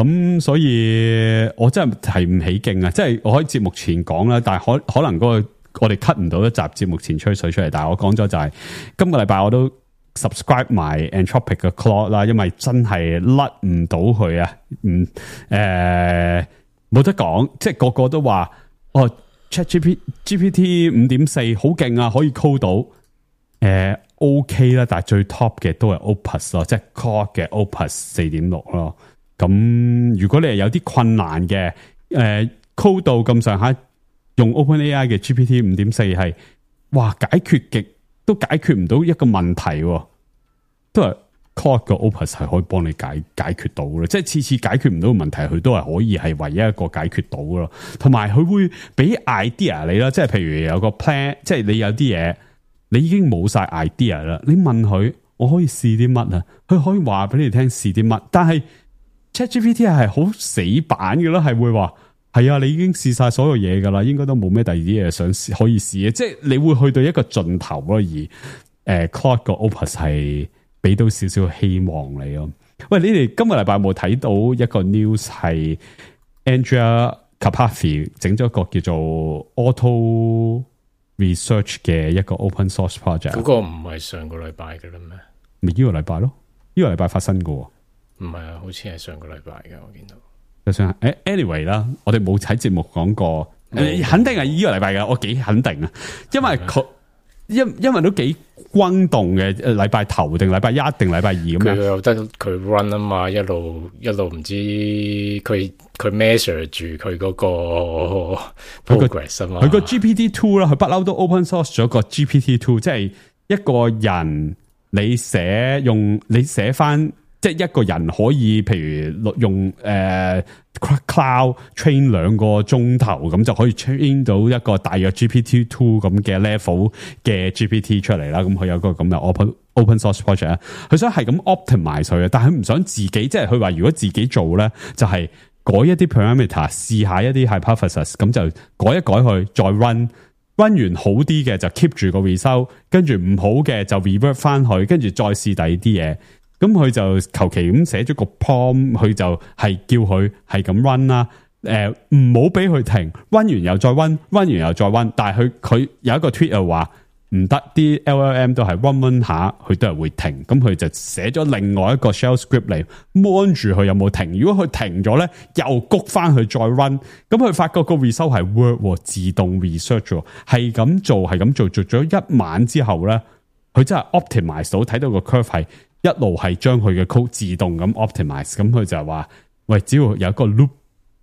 咁所以我真係提唔起勁啊！即係我可以節目前講啦，但係可能嗰個我哋 cut 唔到一集節目前吹水出嚟。但係我講咗就係今個禮拜我都 subscribe 埋 Anthropic 嘅 Claude 啦，因為真係甩唔到佢啊！冇得講，即係個個都話ChatGPT 5.4好勁啊，可以 code 到OK 啦，但係最 top 嘅都係 Opus 咯，即係 Claude 嘅 Opus 4.6咯。咁如果你係有啲困難嘅code 到咁上下，用 OpenAI 嘅 GPT 5.4係哇解決極都解決唔到一個問題，都係 Claude 個 Opus 係可以幫你解決到嘅，即係次次解決唔到嘅問題，佢都係可以係唯一一個解決到嘅咯。同埋佢會俾 idea 你啦，即係譬如有個 plan，即係你有啲嘢你已經冇晒 idea 啦，你問佢我可以試啲乜啊？佢可以話俾你聽試啲乜，但係 ChatGPT 係好死板嘅咯，係會話係啊，你已經試晒所有嘢噶啦，應該都冇咩第二啲嘢想試可以試嘅，即係你會去到一個盡頭咯。而Claude 個 Opus 係俾到少少希望你咯。喂，你哋今個禮拜有冇睇到一個 news 係 Andrea Karpathy 整咗一個叫做 Auto Research 嘅一個 open source project？ 嗰個唔係上個禮拜嘅啦咩？咪呢個禮拜咯，呢個禮拜發生嘅。唔係啊，好似係上個禮拜嘅，我見到。就算anyway 啦，我哋冇喺節目講過，肯定係呢個禮拜嘅，我幾肯定啊，因為佢因為都幾轟動嘅，禮拜頭定禮拜一定禮拜二咁樣。佢有得佢 run 啊嘛，一路唔知佢 measure 住佢嗰個 progress 啊嘛。佢個 GPT-2 啦，佢不嬲都 open source 咗個 GPT-2，即係一個人你寫翻。即係一個人可以，譬如用cloud train 2個鐘頭，咁就可以 train 到一個大約 GPT-2 咁嘅 level 嘅 GPT 出嚟啦。咁佢有個咁嘅 open source project， 佢想係咁 optimize 佢嘅，但係佢唔想自己，即係佢話如果自己做咧，就係改一啲 parameter， 試下一啲 hypothesis， 咁就改一改佢，再 run 完好啲嘅就 keep 住個 result， 跟住唔好嘅就 revert 翻去，跟住再試第二啲嘢。咁佢就求其咁寫咗個 prompt， 佢就係叫佢係咁 run 啦，唔好俾佢停 ，run 完又再 run 完又再 run。但係佢有一個 tweet 又話唔得，啲 LLM 都係 run 下，佢都係會停。咁佢就寫咗另外一個 shell script 嚟 mon 住佢有冇停。如果佢停咗咧，又谷翻去再 run。咁佢發覺個 result 係 work， 自動 research 係咁做，做咗一晚之後咧，佢真係 optimize 到，睇到個 curve 係一路係將佢嘅 code 自動咁 optimize。咁佢就係話，喂，只要有一個 loop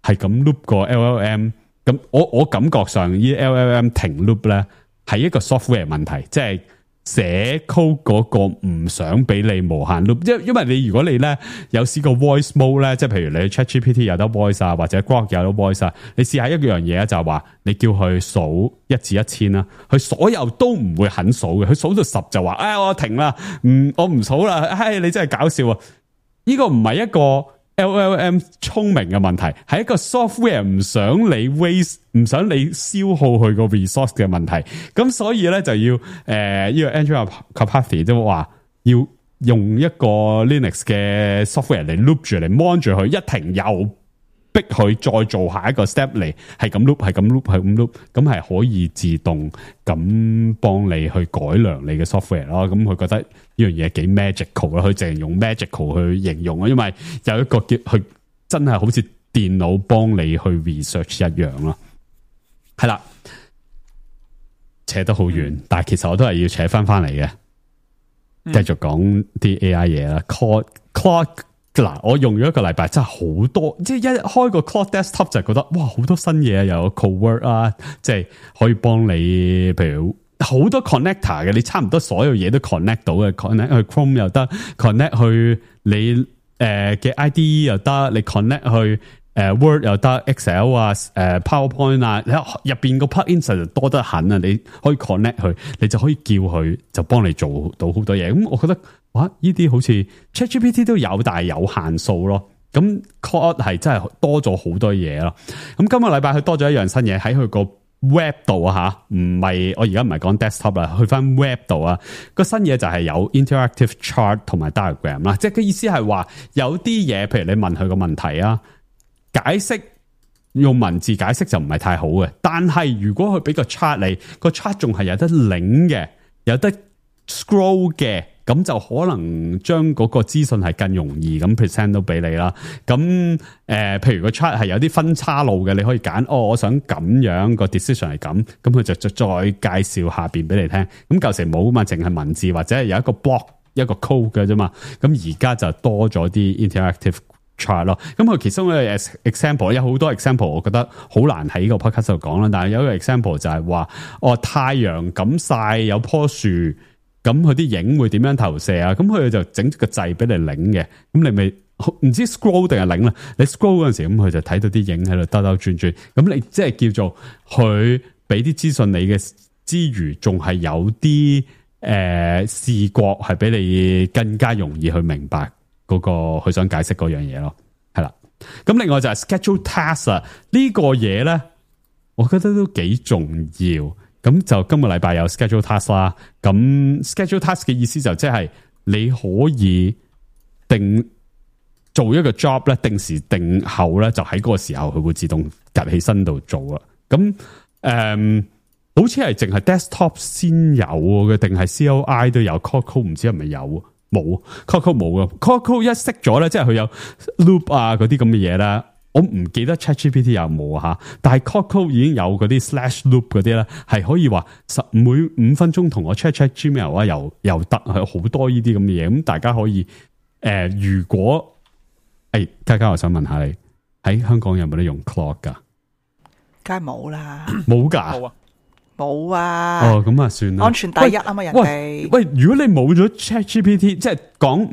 係咁 loop 個 LLM， 咁我感覺上呢 LLM 停 loop 咧。係一個 software 問題，即係寫 code 嗰個唔想俾你無限 loop，因為你如果你咧有試過 voice mode 咧，即係譬如你 ChatGPT 有得 voice 啊，或者 Grok 有得 voice 啊，你試下一樣嘢啊，就係話你叫佢數1至1000啦，佢所有都唔會肯數嘅，佢數到10就話，我停啦，我唔數啦，你真係搞笑啊！呢個唔係一個LLM 聰明嘅問題，係一個 software 唔想你 waste， 唔想你消耗佢個 resource 嘅問題。咁所以咧就要呢個 Andrew Karpathy 都話要用一個 Linux 嘅 software 嚟 loop 住嚟 mon 住佢，一停又逼佢再做下一個 step 嚟，係咁 loop， 係咁 loop， 係咁 loop， 咁係可以自動咁幫你去改良你嘅 software 咯。咁佢覺得呢樣嘢幾 magical 咯，佢淨係用 magical 去形容啊，因為有一個叫佢真係好似電腦幫你去 research 一樣咯。係啦，扯得好遠，但係其實我都係要扯翻嚟嘅，繼續講啲 AI 嘢啦。Claude 嗱，我用咗一個禮拜，真係好多，即係一開個 Claude Desktop 就覺得哇，好多新嘢啊，又有 Coword 啊，即係可以幫你，譬如好多 connector 嘅，你差唔多所有嘢都 connect 到嘅 ，connect 去 Chrome 又得 ，connect 去你嘅 IDE 又得，你 connect 去Word 又得 ，Excel 啊，PowerPoint 啊，入邊個 plugin 實在多得很啊，你可以 connect 佢，你就可以叫佢就幫你做到好多嘢。咁我覺得哇，呢啲好似 ChatGPT 都有，但係有限數咯。咁 Claude 係真係多咗好多嘢咯。咁今個禮拜佢多咗一樣新嘢喺佢個 Web 度啊吓，唔係我而家唔係講 desktop 啦，去翻 Web 度啊。個新嘢就係有 interactive chart 同埋 diagram 啦，即係個意思係話有啲嘢，譬如你問佢個問題啊，解釋用文字解釋就唔係太好嘅。但係如果佢俾個 chart 你，個 chart 仲係有得擰嘅，有得 scroll 嘅。咁就可能將嗰個資訊係更容易咁 present 到俾你啦。咁譬如個 chart 係有啲分叉路嘅，你可以揀我想咁樣個 decision 係咁，咁佢就再介紹下邊俾你聽。咁舊時冇嘛，淨係文字或者係有一個 block 一個 code 嘅啫嘛。咁而家就多咗啲 interactive chart 咯。咁佢其中一個 example 有好多 example， 我覺得好難喺呢個 podcast 度講啦。但係有一個 example 就係話，太陽咁曬有棵樹。咁佢啲影會點樣投射啊？咁佢就整個掣俾你擰嘅，咁你咪唔知 scroll 定係擰啦。你 scroll 嗰陣時，咁佢就睇到啲影喺度兜兜轉轉。咁你即係叫做佢俾啲資訊你嘅之餘，仲係有啲視覺係俾你更加容易去明白嗰個佢想解釋嗰樣嘢咯。係啦，咁另外就係 schedule task 啊，呢個嘢咧，我覺得都幾重要。咁就今個禮拜有 schedule task 啦，咁 schedule task 嘅意思就即係你可以做一個 job 咧，定時定候咧，就喺嗰個時候佢會自動趌起身度做啦。咁好似係淨係 desktop 先有嘅，定係 CLI 都有 Claude Code 唔知係咪有？冇 Claude Code 冇嘅 Claude Code 一熄咗咧，即係佢有 loop 啊嗰啲咁嘅嘢啦。我唔記得 ChatGPT 有冇吓，但係 Claude Code 已經有嗰啲 slash loop 嗰啲咧，係可以話每5分鐘同我 check Gmail 啊，又得，係好多呢啲咁嘅嘢。咁大家可以如果嘉嘉，我想問下你喺香港有冇得用 Claude 噶？梗係冇啦，冇噶。冇啊！哦，咁啊，算啦，安全第一啊嘛，人哋。喂，如果你冇咗 ChatGPT，即係講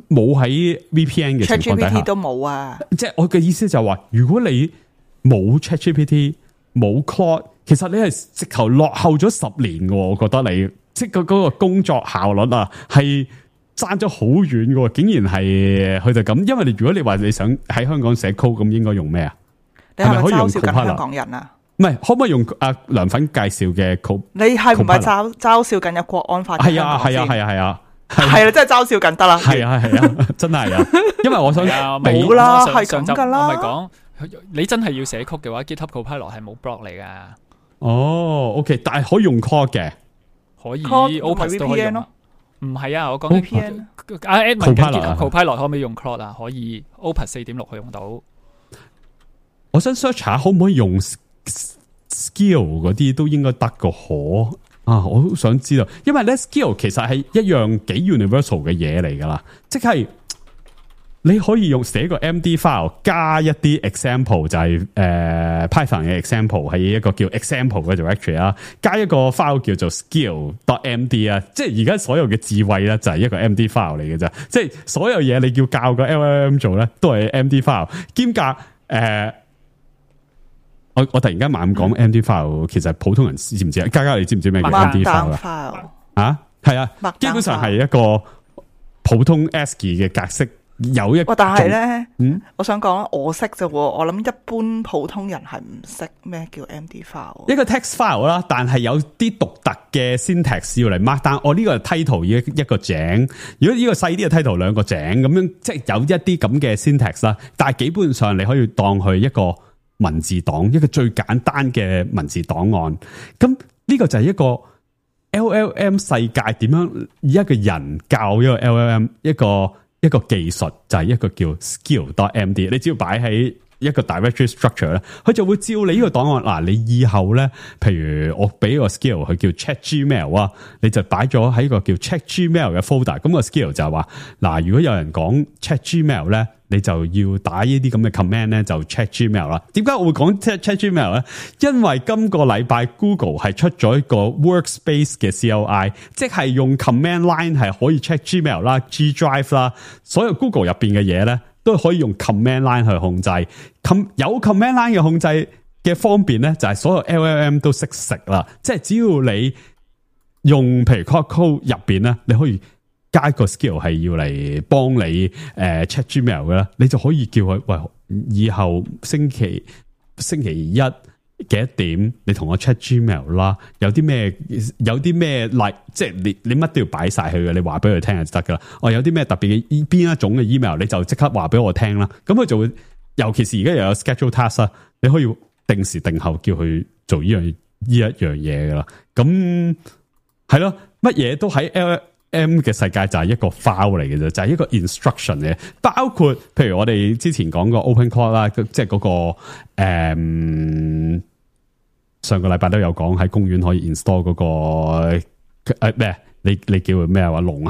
冇喺 VPN 嘅情況底下 ，ChatGPT 都冇啊。即係我嘅意思就係話，如果你冇 ChatGPT，冇 Claude，其實你係直頭落後咗10年嘅。我覺得你即係嗰個工作效率啊，係爭咗好遠嘅。竟然係佢就咁，因為如果你話你想喺香港寫 code，咁應該用咩啊？你係咪可以用 Copilot？香港人啊？唔係，可唔可以用阿梁粉介紹嘅 Copilot？你係唔係嘲笑緊入國安法？係啊，係啊，係啊，係啊，係啦，真係嘲笑緊得啦。係啊，係啊，真係啊，因為我想冇啦，係咁噶啦。我咪講，你真係要寫曲嘅話，GitHub Copilot 係冇 block 嚟噶。哦 ，OK， 但係可以用 Claude 嘅。可以 Claude Opus 都可以 VPN 用咯。唔係啊，我講緊 VPN 阿 Ed 問緊 Copilot 結合 Copilot 可唔可以用 Claude 啊？可以 Opus 4.6去用到。我想 search 下可唔可以用 skill 嗰啲都應該得個可啊！我好想知道，因為咧 skill 其實係一樣幾 universal 嘅嘢嚟噶啦，即係你可以用寫個 MD file 加一啲 example， 就係Python 嘅 example 係一個叫 example 嘅 directory 啦，加一個 file 叫做 skill.md 啊，即係而家所有嘅智慧咧就係一個 MD file 嚟嘅啫，即係所有嘢你叫教個 LLM 做咧都係 MD file 兼夾我突然間猛講 MD file， 其實普通人知唔知啊？嘉嘉你知唔知咩叫 MD file 啊？係啊，基本上係一個普通 ASCII 嘅格式，有一但係咧，我想講我識啫喎，我諗一般普通人係唔識咩叫 MD file。一個 text file 啦，但係有啲獨特嘅 syntax 要嚟 mark down。我呢個 title 一個井，如果呢個細啲嘅 title 兩個井咁樣，即係有一啲咁嘅 syntax 啦。但係基本上你可以當佢一個文字檔，一個最簡單嘅文字檔案。咁呢個就係一個 LLM 世界點樣以一個人教一個 LLM 一個技術，就係一個叫 skill.md。你只要擺喺一個 directory structure 咧，佢就會照你呢個檔案。嗱，你以後咧，譬如我俾個 skill 佢叫 check Gmail 啊，你就擺咗喺個叫 check Gmail 嘅 folder。咁個 skill 就係話，嗱，如果有人講 check Gmail 咧，你就要打呢啲咁嘅 command 咧，就 check Gmail 啦。點解我會講 check Gmail 咧？因為今個禮拜 Google 係出咗一個 Workspace 嘅 CLI， 即係用 command line 係可以 check Gmail 啦、G Drive 啦，所有 Google 入邊嘅嘢咧，都可以用 command line 去控制。有 command line 嘅控制嘅方便咧，就係所有 LLM 都識食啦。即係只要你用譬如 code 入邊咧，你可以加一個 skill 係要嚟幫你check Gmail 嘅啦，你就可以叫佢喂，以後星期一幾多點你同我 check Gmail 啦，有啲咩即係你乜都要擺晒佢嘅，你話俾佢聽就得噶啦。有啲咩特別嘅邊一種嘅 email， 你就即刻話俾我聽啦。咁佢就會，尤其是而家又有 schedule task 啦，你可以定時定候叫佢做呢一樣嘢噶啦。咁係咯，乜嘢都喺 LLM 嘅世界就係一個 file 嚟嘅啫，就係一個 instruction 嘅，包括譬如我哋之前講過 OpenClaw 啦，即係嗰個上個禮拜都有講喺公園可以 install 嗰個咩？你叫佢咩話？龍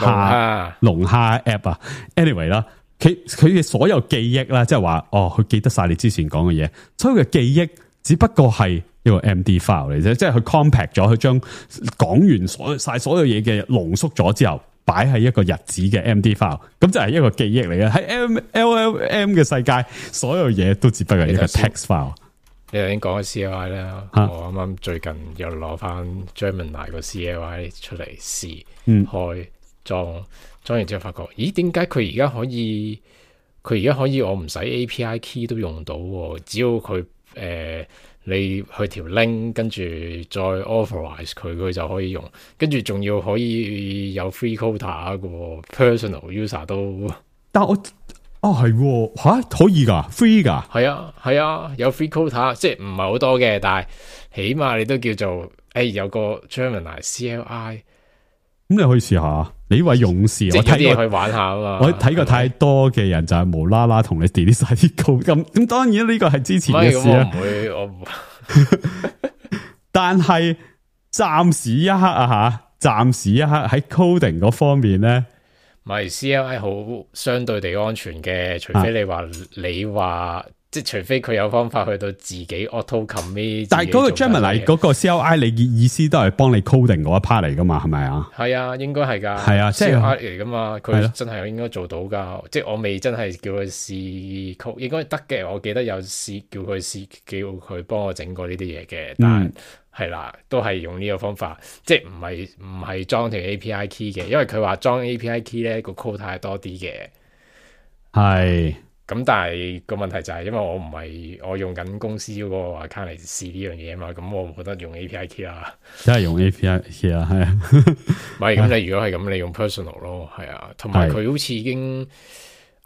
蝦 app 啊 ，anyway 啦，佢嘅所有記憶啦，即係話佢記得晒你之前講嘅嘢，所有嘅記憶只不過係一個 MD file 嚟啫，即係佢 compact 咗，佢將講完所有嘢嘅濃縮咗之後，擺喺一個日子嘅 MD file， 咁就係一個記憶嚟嘅。喺 LLM 嘅世界，所有嘢都只不過係一個 text file。你頭先講嘅 CLI 啦，我啱啱最近又攞翻 Gemini 個 CLI 出嚟試，開裝完之後發覺，咦？點解佢而家可以我唔使 API key 都用到喎？只要佢你去條 link 跟住再 authorize 佢就可以用，跟住仲要可以有 free quota 嘅 personal user 都。但我係吓可以噶 free 噶，係啊有 free quota， 即係唔係好多嘅，但係起碼你都叫做有個 Gemini CLI， 咁你可以試下。你呢位勇士，我睇過可以玩下啊嘛。我睇過太多嘅人就係無啦啦同你 delete 晒啲 code， 咁當然呢個係之前嘅事啦。我唔會。但係暫時一刻喺 coding 嗰方面咧。唔係 CLI 好相對地安全嘅，除非你話即係除非佢有方法去到自己 auto commit。但係嗰個 Gemini 嗰個 CLI 你嘅意思都係幫你 coding 嗰一 part 嚟噶嘛？係咪啊？係啊，應該係噶。係啊，即係 CLI 嚟噶嘛？佢真係應該做到噶。即係我未真係叫佢試 code，應該得嘅。我記得有叫佢幫我整過呢啲嘢嘅，但係啦，都係用呢個方法，即係唔係裝條 API key 嘅，因為佢話裝 API key 咧個 quota 係多啲嘅。係。咁但係個問題就係，因為我用緊公司嗰個 account 嚟試呢樣嘢啊嘛，咁我冇得用 API key 啦。真係用 API key 啊，係啊。唔係咁，你如果係咁，你用 personal 咯，係啊。同埋佢好似已經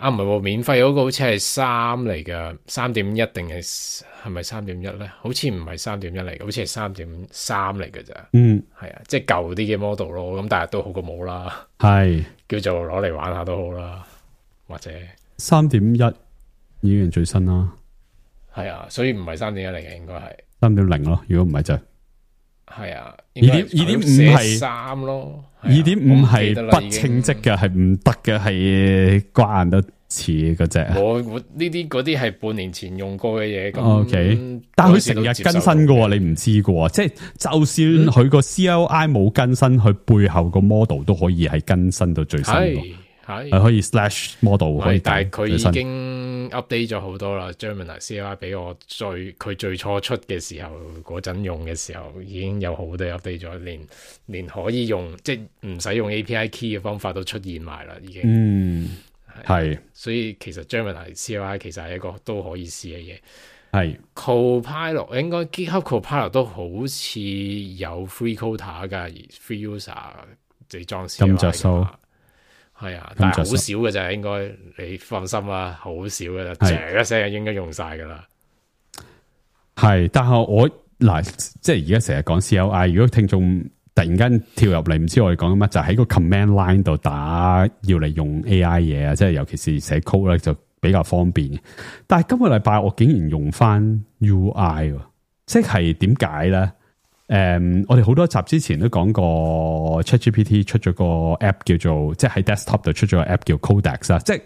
唔係喎，免費嗰個好似係3嚟㗎，3.1定係咪3.1咧？好似唔係3.1嚟嘅，好似係3.3嚟嘅咋。係啊，即係舊啲嘅 model 咯，咁但係都好過冇啦。係叫做攞嚟玩下都好啦，或者3.1已經係最新啦。係啊，所以唔係3.1嚟嘅，應該係3.0咯。如果唔係就係啊，2.5係3咯。2.5係不稱職嘅，係唔得嘅，係關人都似嗰隻。我呢啲嗰啲係半年前用過嘅嘢。OK， 但係佢成日更新嘅，你唔知嘅，即係就算佢個 CLI 冇更新，佢背後個 model 都可以係更新到最新嘅。係可以 slash model 可以，但係佢已經 update 咗好多啦。Gemini CLI 俾我佢最初出嘅時候嗰陣用嘅時候，已經有好多 update 咗，連可以用即係唔使用 API key 嘅方法都出現埋啦，已經。係。所以其實 Gemini CLI 其實係一個都可以試嘅嘢。係 Copilot 應該 GitHub Copilot 都好似有 free quota 噶，free user 你裝 CLI 嘅話。係啊，但係好少嘅咋，應該你放心啦，好少嘅咋，嘖一聲應該用晒噶啦。係，但係我嗱，即係而家成日講 CLI， 如果聽眾突然間跳入嚟，唔知我哋講乜，就喺個 command line 度打要嚟用 AI 嘢啊，即係尤其是寫 code 咧就比較方便。但係今個禮拜我竟然用翻 UI， 即係點解咧？我哋好多集之前都講過 ChatGPT 出咗個 app 叫做，即係喺 desktop 度出咗個 app 叫 Codex 啊，即係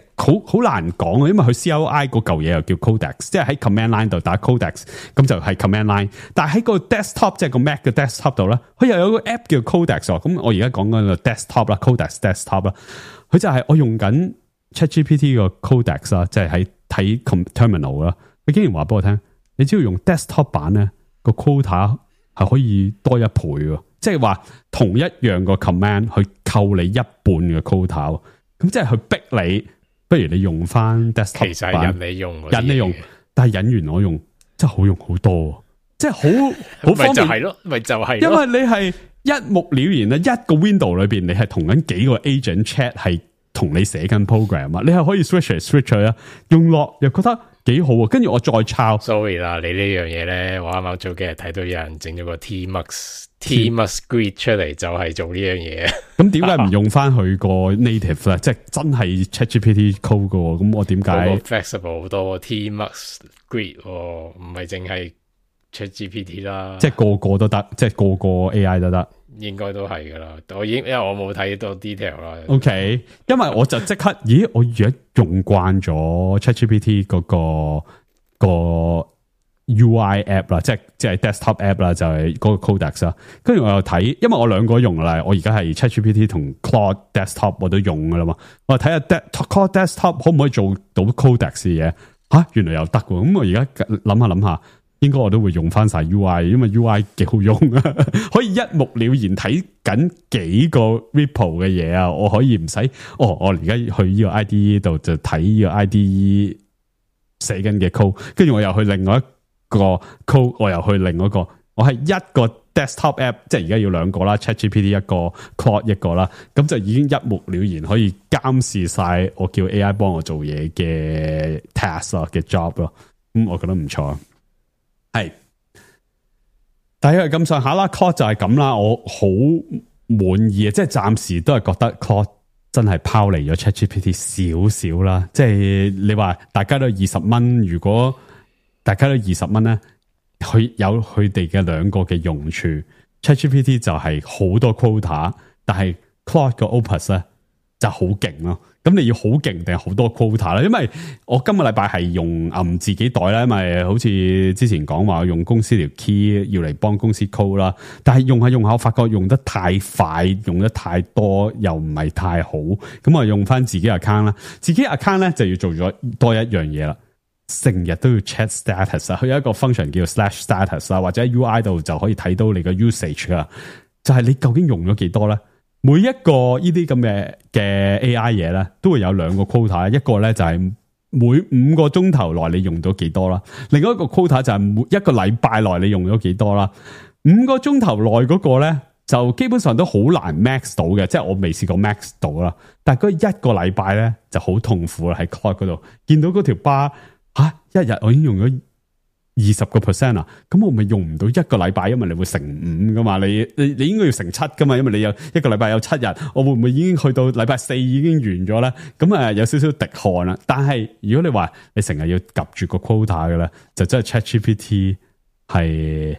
好難講啊，因為佢 CLI 嗰嚿嘢又叫 Codex， 即係喺 command line 度打 Codex， 咁就係 command line， 但係喺個 desktop 即係個 Mac 嘅 desktop 度咧，佢又有個 app 叫 Codex， 咁我而家講緊個 desktop 啦 ，Codex desktop 啦，佢就係我用緊 ChatGPT 個 Codex 啊，即係喺睇 terminal 啦，佢竟然話俾我聽，你只要用 desktop 版咧個 quota 係可以多1倍喎，即係話同一樣個 command 去扣你1半嘅 quota， 咁即係去逼你，不如你用翻 desktop 版，其實係引你用，但係引完我用真係好用好多，即係好方便。咪就係咯，因為你係一目了然啦，一個 window 裏邊你係同緊幾個 agent chat 係同你寫緊 program 啊，你係可以 switch 嚟 switch 去啊，用落又覺得幾好啊，跟住我再抄。sorry 啦，你呢樣嘢咧，我啱啱早幾日睇到有人整咗個 Tmux Grid 出嚟，就係做呢樣嘢。咁點解唔用翻佢個 native 咧？即係真係 ChatGPT code 噶？咁我點解 flexible 好多 Tmux Grid 唔係淨係 ChatGPT 啦，即係個個都得，即係個個 AI 都得。應該都係噶啦，因為我冇睇到 detail 啦。OK， 因為我就即刻，咦，我而家用慣咗 ChatGPT 嗰個 UI app 啦，即係 desktop app 啦，就係嗰個 Codex 啦。跟住我又睇，因為我兩個用啦，我而家係 ChatGPT 同 Claude desktop 我都用噶啦嘛。我睇下 Claude desktop 可唔可以做到 Codex 嘅嘢？原來又得喎。咁我而家諗下。應該我都會用翻晒 UI， 因為 UI 幾好用啊，可以一目了然睇緊幾個 repo 嘅嘢啊，我可以唔使我而家去呢個 IDE 度就睇呢個 IDE 寫緊嘅 code， 跟住我又去另外一個 code， 我又去另外一個，我係一個 desktop app， 即係而家要兩個啦 ，ChatGPT 一個 Claude 一個啦，咁就已經一目了然可以監視晒我叫 AI 幫我做嘢嘅 task 咯嘅 job 咯，我覺得唔錯。係，但係咁上下啦 ，Claude 就係咁啦，我好滿意啊！即係暫時都係覺得 Claude 真係拋離咗 ChatGPT 少少啦。即係你話大家都20蚊，如果大家都20蚊咧，佢有佢哋嘅兩個嘅用處。ChatGPT 就係好多 quota， 但係 Claude 個 Opus 咧就好勁咯。咁你要好勁定係好多 quota 啦？因為我今個禮拜係用自己袋啦，因為好似之前講話用公司條 key 要嚟幫公司 code 啦，但係用下我發覺用得太快，用得太多又唔係太好，咁我用翻自己 account 啦，自己 account 咧就要做咗多一樣嘢啦，成日都要 check status 啊，佢有一個 function 叫 slash status 啊，或者 UI 度就可以睇到你個 usage 啊，就係你究竟用咗幾多咧？每一個呢啲咁嘅 AI 嘢咧，都會有兩個 quota， 一個咧就係每5個鐘頭內你用到幾多啦，另外一個 quota 就係每一個禮拜內你用咗幾多啦。5個鐘頭內嗰個咧就基本上都好難 max 到嘅，即係我未試過 max 到啦。但係嗰一個禮拜咧就好痛苦啦，喺 Claude 嗰度見到嗰條巴一日我已經用咗20% 啊，咁我咪用唔到一個禮拜，因為你會乘5噶嘛，你應該要乘7噶嘛，因為你有一個禮拜有7日，我會唔會已經去到禮拜4已經完咗咧？咁有少少滴汗啦。但係如果你話你成日要夾住個 quota 嘅咧，就真係 ChatGPT 係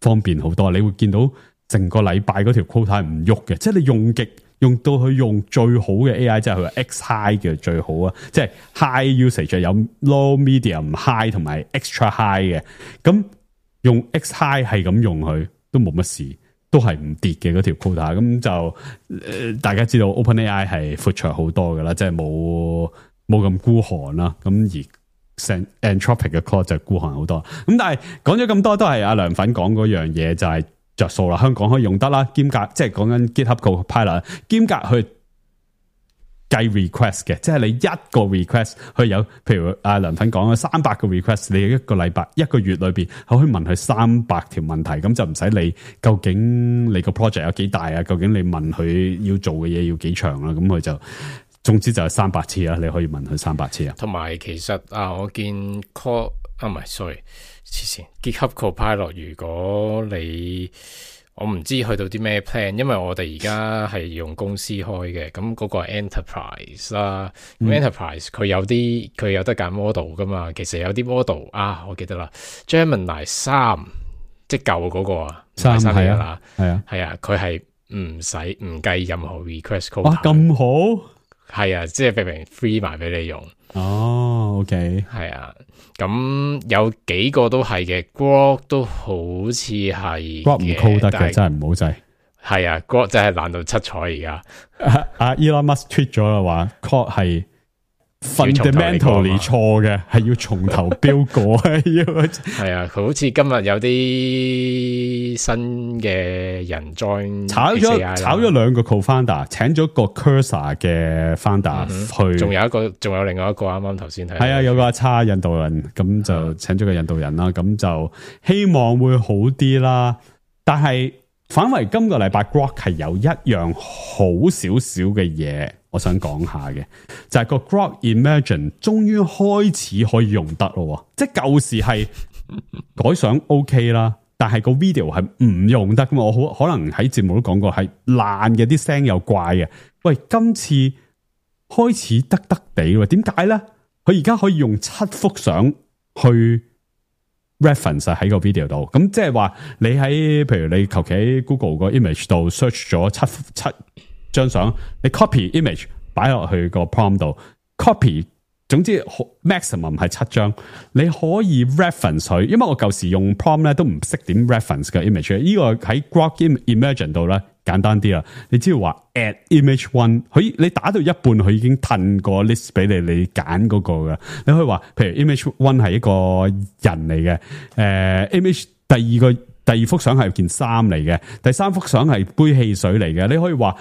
方便好多。你會見到成個禮拜嗰條 quota 唔喐嘅，即係你用到佢用最好嘅 AI， 即係佢話 X high 嘅最好啊，即係 high usage 有 low、medium、high 同埋 extra high 嘅。咁用 X high 係咁用佢都冇乜事，都係唔跌嘅嗰條 quota。咁就大家知道 OpenAI 係闊綽好多噶啦，即係冇咁孤寒啦。咁而 Anthropic 嘅 Claude 就孤寒好多。咁但係講咗咁多，都係阿梁粉講嗰樣嘢，就係着數啦，香港可以用得啦，兼夾即係講緊 GitHub Copilot， 兼夾去計 request 嘅，即係你一個 request 去有，譬如阿梁粉講嘅300個 request， 你一個禮拜一個月裏邊可以問佢300條問題，咁就唔使理究竟你個 project 有幾大啊，究竟你問佢要做嘅嘢要幾長啦，咁佢就總之就係300次啦，你可以問佢300次啊。同埋其實我見 call 唔係 sorry。之前 GitHub Copilot， 如果我唔知去到啲咩 plan， 因為我哋而家係用公司開嘅，咁嗰個係 Enterprise 啦。Enterprise 佢有得揀 model 噶嘛，其實有啲 model 我記得啦 ，Gemini 3即係舊嗰個3係啦，係啊，佢係唔計任何 request code。哇，咁好！係啊，即係明明 free 埋俾你用。哦 ，OK， 係啊，咁有幾個都係嘅 ，Grok 都好似係 Grok 唔 code 得嘅，真係唔好制。係啊 ，Grok 真係難到七彩而家。阿 Elon Musk tweet 咗啦，話 Grok 係 fundamentally 錯嘅，係要從頭標過。係啊，佢好似今日有啲新嘅人 join 炒咗2個 co-founder， 請咗個 Cursor 嘅 founder 去，仲有另外一個啱啱頭先睇，係啊，有個阿叉印度人，咁就請咗個印度人啦，咁就希望會好啲啦。但係反為今個禮拜 Grok 係有一樣好少少嘅嘢，我想講下嘅，就係個 Grok Imagine 終於開始可以用得咯，即係舊時係改相 OK 啦，但係個 video 係唔用得噶嘛。我可能喺節目都講過係爛嘅，啲聲又怪嘅。喂，今次開始得地喎，點解咧？佢而家可以用7幅相去 reference 喺個 video 度，咁即係話你喺譬如你求其喺 Google 個 image 度 search 咗七張相，你 copy image 擺落去個 prompt 度 copy， 總之 maximum 係7張，你可以 reference 佢。因為我舊時用 prompt 咧都唔識點 reference 嘅 image， 呢個喺 Grok Imagine 度咧簡單啲啦，你只要話 add image one， 你打到一半佢已經褪個 list 俾你揀嗰個噶。你可以話譬如 image one 係一個人嚟嘅，image 第二幅相係件衫嚟嘅，第3幅相係杯汽水嚟嘅。你可以話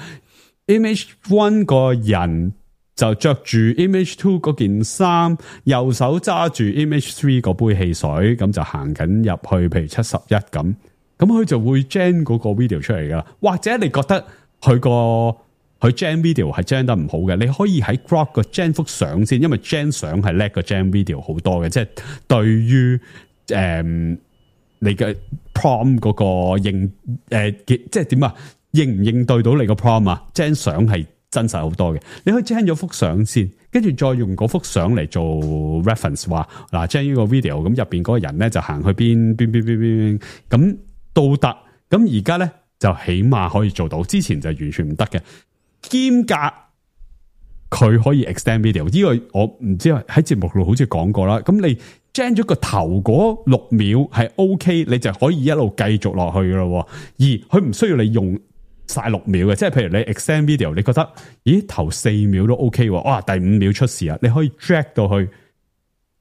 image one 個人就着住 image two 嗰件衫，右手揸住 image three 嗰杯汽水，咁就行緊入去，譬如71咁。咁佢就會 gen 嗰個 video 出嚟噶啦，或者你覺得佢 gen video 係 gen 得唔好嘅，你可以喺 Grok 個 gen 幅相先，因為 gen 相係叻過 gen video 好多嘅，即係對於你嘅 prompt 嗰個即係點啊，應唔應對到你個 prompt 啊 ？gen 相係真實好多嘅，你可以 gen 咗幅相先，跟住再用嗰幅相嚟做 reference， 話嗱 gen 呢個 video 咁入邊嗰個人咧就行去邊咁。都得，咁而家咧就起碼可以做到，之前就完全唔得嘅。兼夾佢可以 extend video， 呢個我唔知喺節目度好似講過啦。咁你 gen 咗個頭嗰6秒係 OK， 你就可以一路繼續落去噶咯。而佢唔需要你用晒6秒嘅，即係譬如你 extend video， 你覺得咦頭4秒都 OK， 哇第5秒出事啊，你可以 drag 到去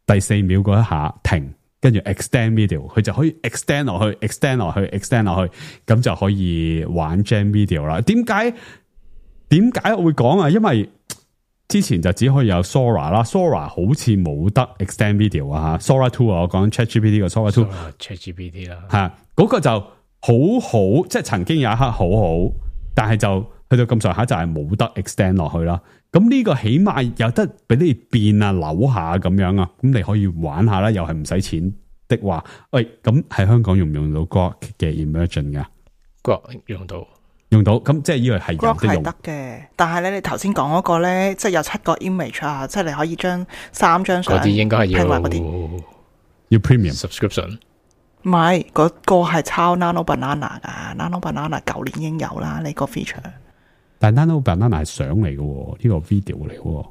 第4秒嗰一下停。跟住 extend video， 佢就可以 extend 落去 extend 落去 extend 落去，咁就可以玩 gen video 啦。點解我會講啊？因為之前就只可以有 Sora 啦 ，Sora 好似冇得 extend video 啊吓。Sora 2啊，我講 ChatGPT 個 Sora 2 ChatGPT 啦，係嗰個就好，即係曾經有一刻好，但係就去到咁上下就係冇得 extend 落去啦。咁呢個起碼有得俾你變啊、扭下咁樣啊，咁你可以玩下啦，又係唔使錢的話，喂，咁喺香港用唔用到 Grok 嘅 Emergent 噶 ？Grok 用到，咁即係呢個係 Grok 係有得用得嘅，但係咧你頭先講嗰個咧，即係有7個 image 啊，即係你可以將3張相嗰啲應該係要要 premium subscription。唔係，嗰個係抄 Nano Banana 噶 ，Nano Banana 舊年已經有啦呢個 feature。但 Nano Banana 係相嚟嘅，呢個 video 嚟嘅。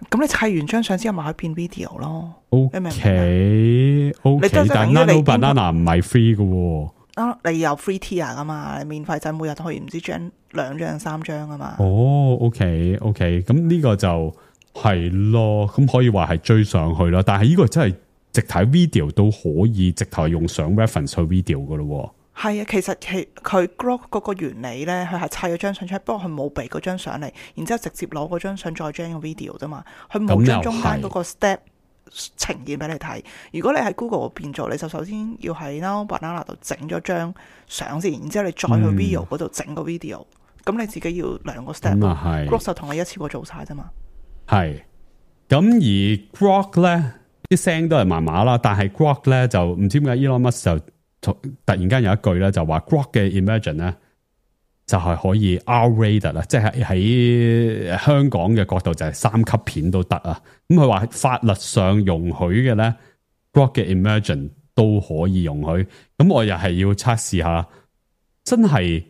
咁你砌完張相之後咪可以變 video 咯。OK，但 Nano Banana 唔係 free 嘅。你有 free tier 噶嘛？你免費仔每日都可以唔知將2張3張啊嘛。哦 ，OK，咁呢個就係咯，咁可以話係追上去啦。但係呢個真係直睇 video 都可以，直頭用相 reference 去 video 噶咯。係啊，其實佢 Grok 嗰個原理咧，佢係砌咗張相出嚟，不過佢冇俾嗰張相嚟，然之後直接攞嗰張相再將個 video 啫嘛，佢冇將中間嗰個 step 呈現俾你睇。如果你喺 Google 嗰邊做，你就首先要喺 Nano Banana 度整咗張相先，然之後你再去 video 嗰度整個 video，咁你自己要2個 step。Grok 就同你一次過做晒啫嘛。係，咁而 Grok 咧啲聲都係麻麻啦，但係 Grok 咧就唔知點解 Elon Musk 就突然間有一句咧就話 Grok 嘅 Emergent 咧就係可以 R-rated 啦，即係喺香港嘅角度就係3級片都得啊。咁佢話法律上容許嘅咧 Grok 嘅 Emergent 都可以容許。咁我又係要測試下，真係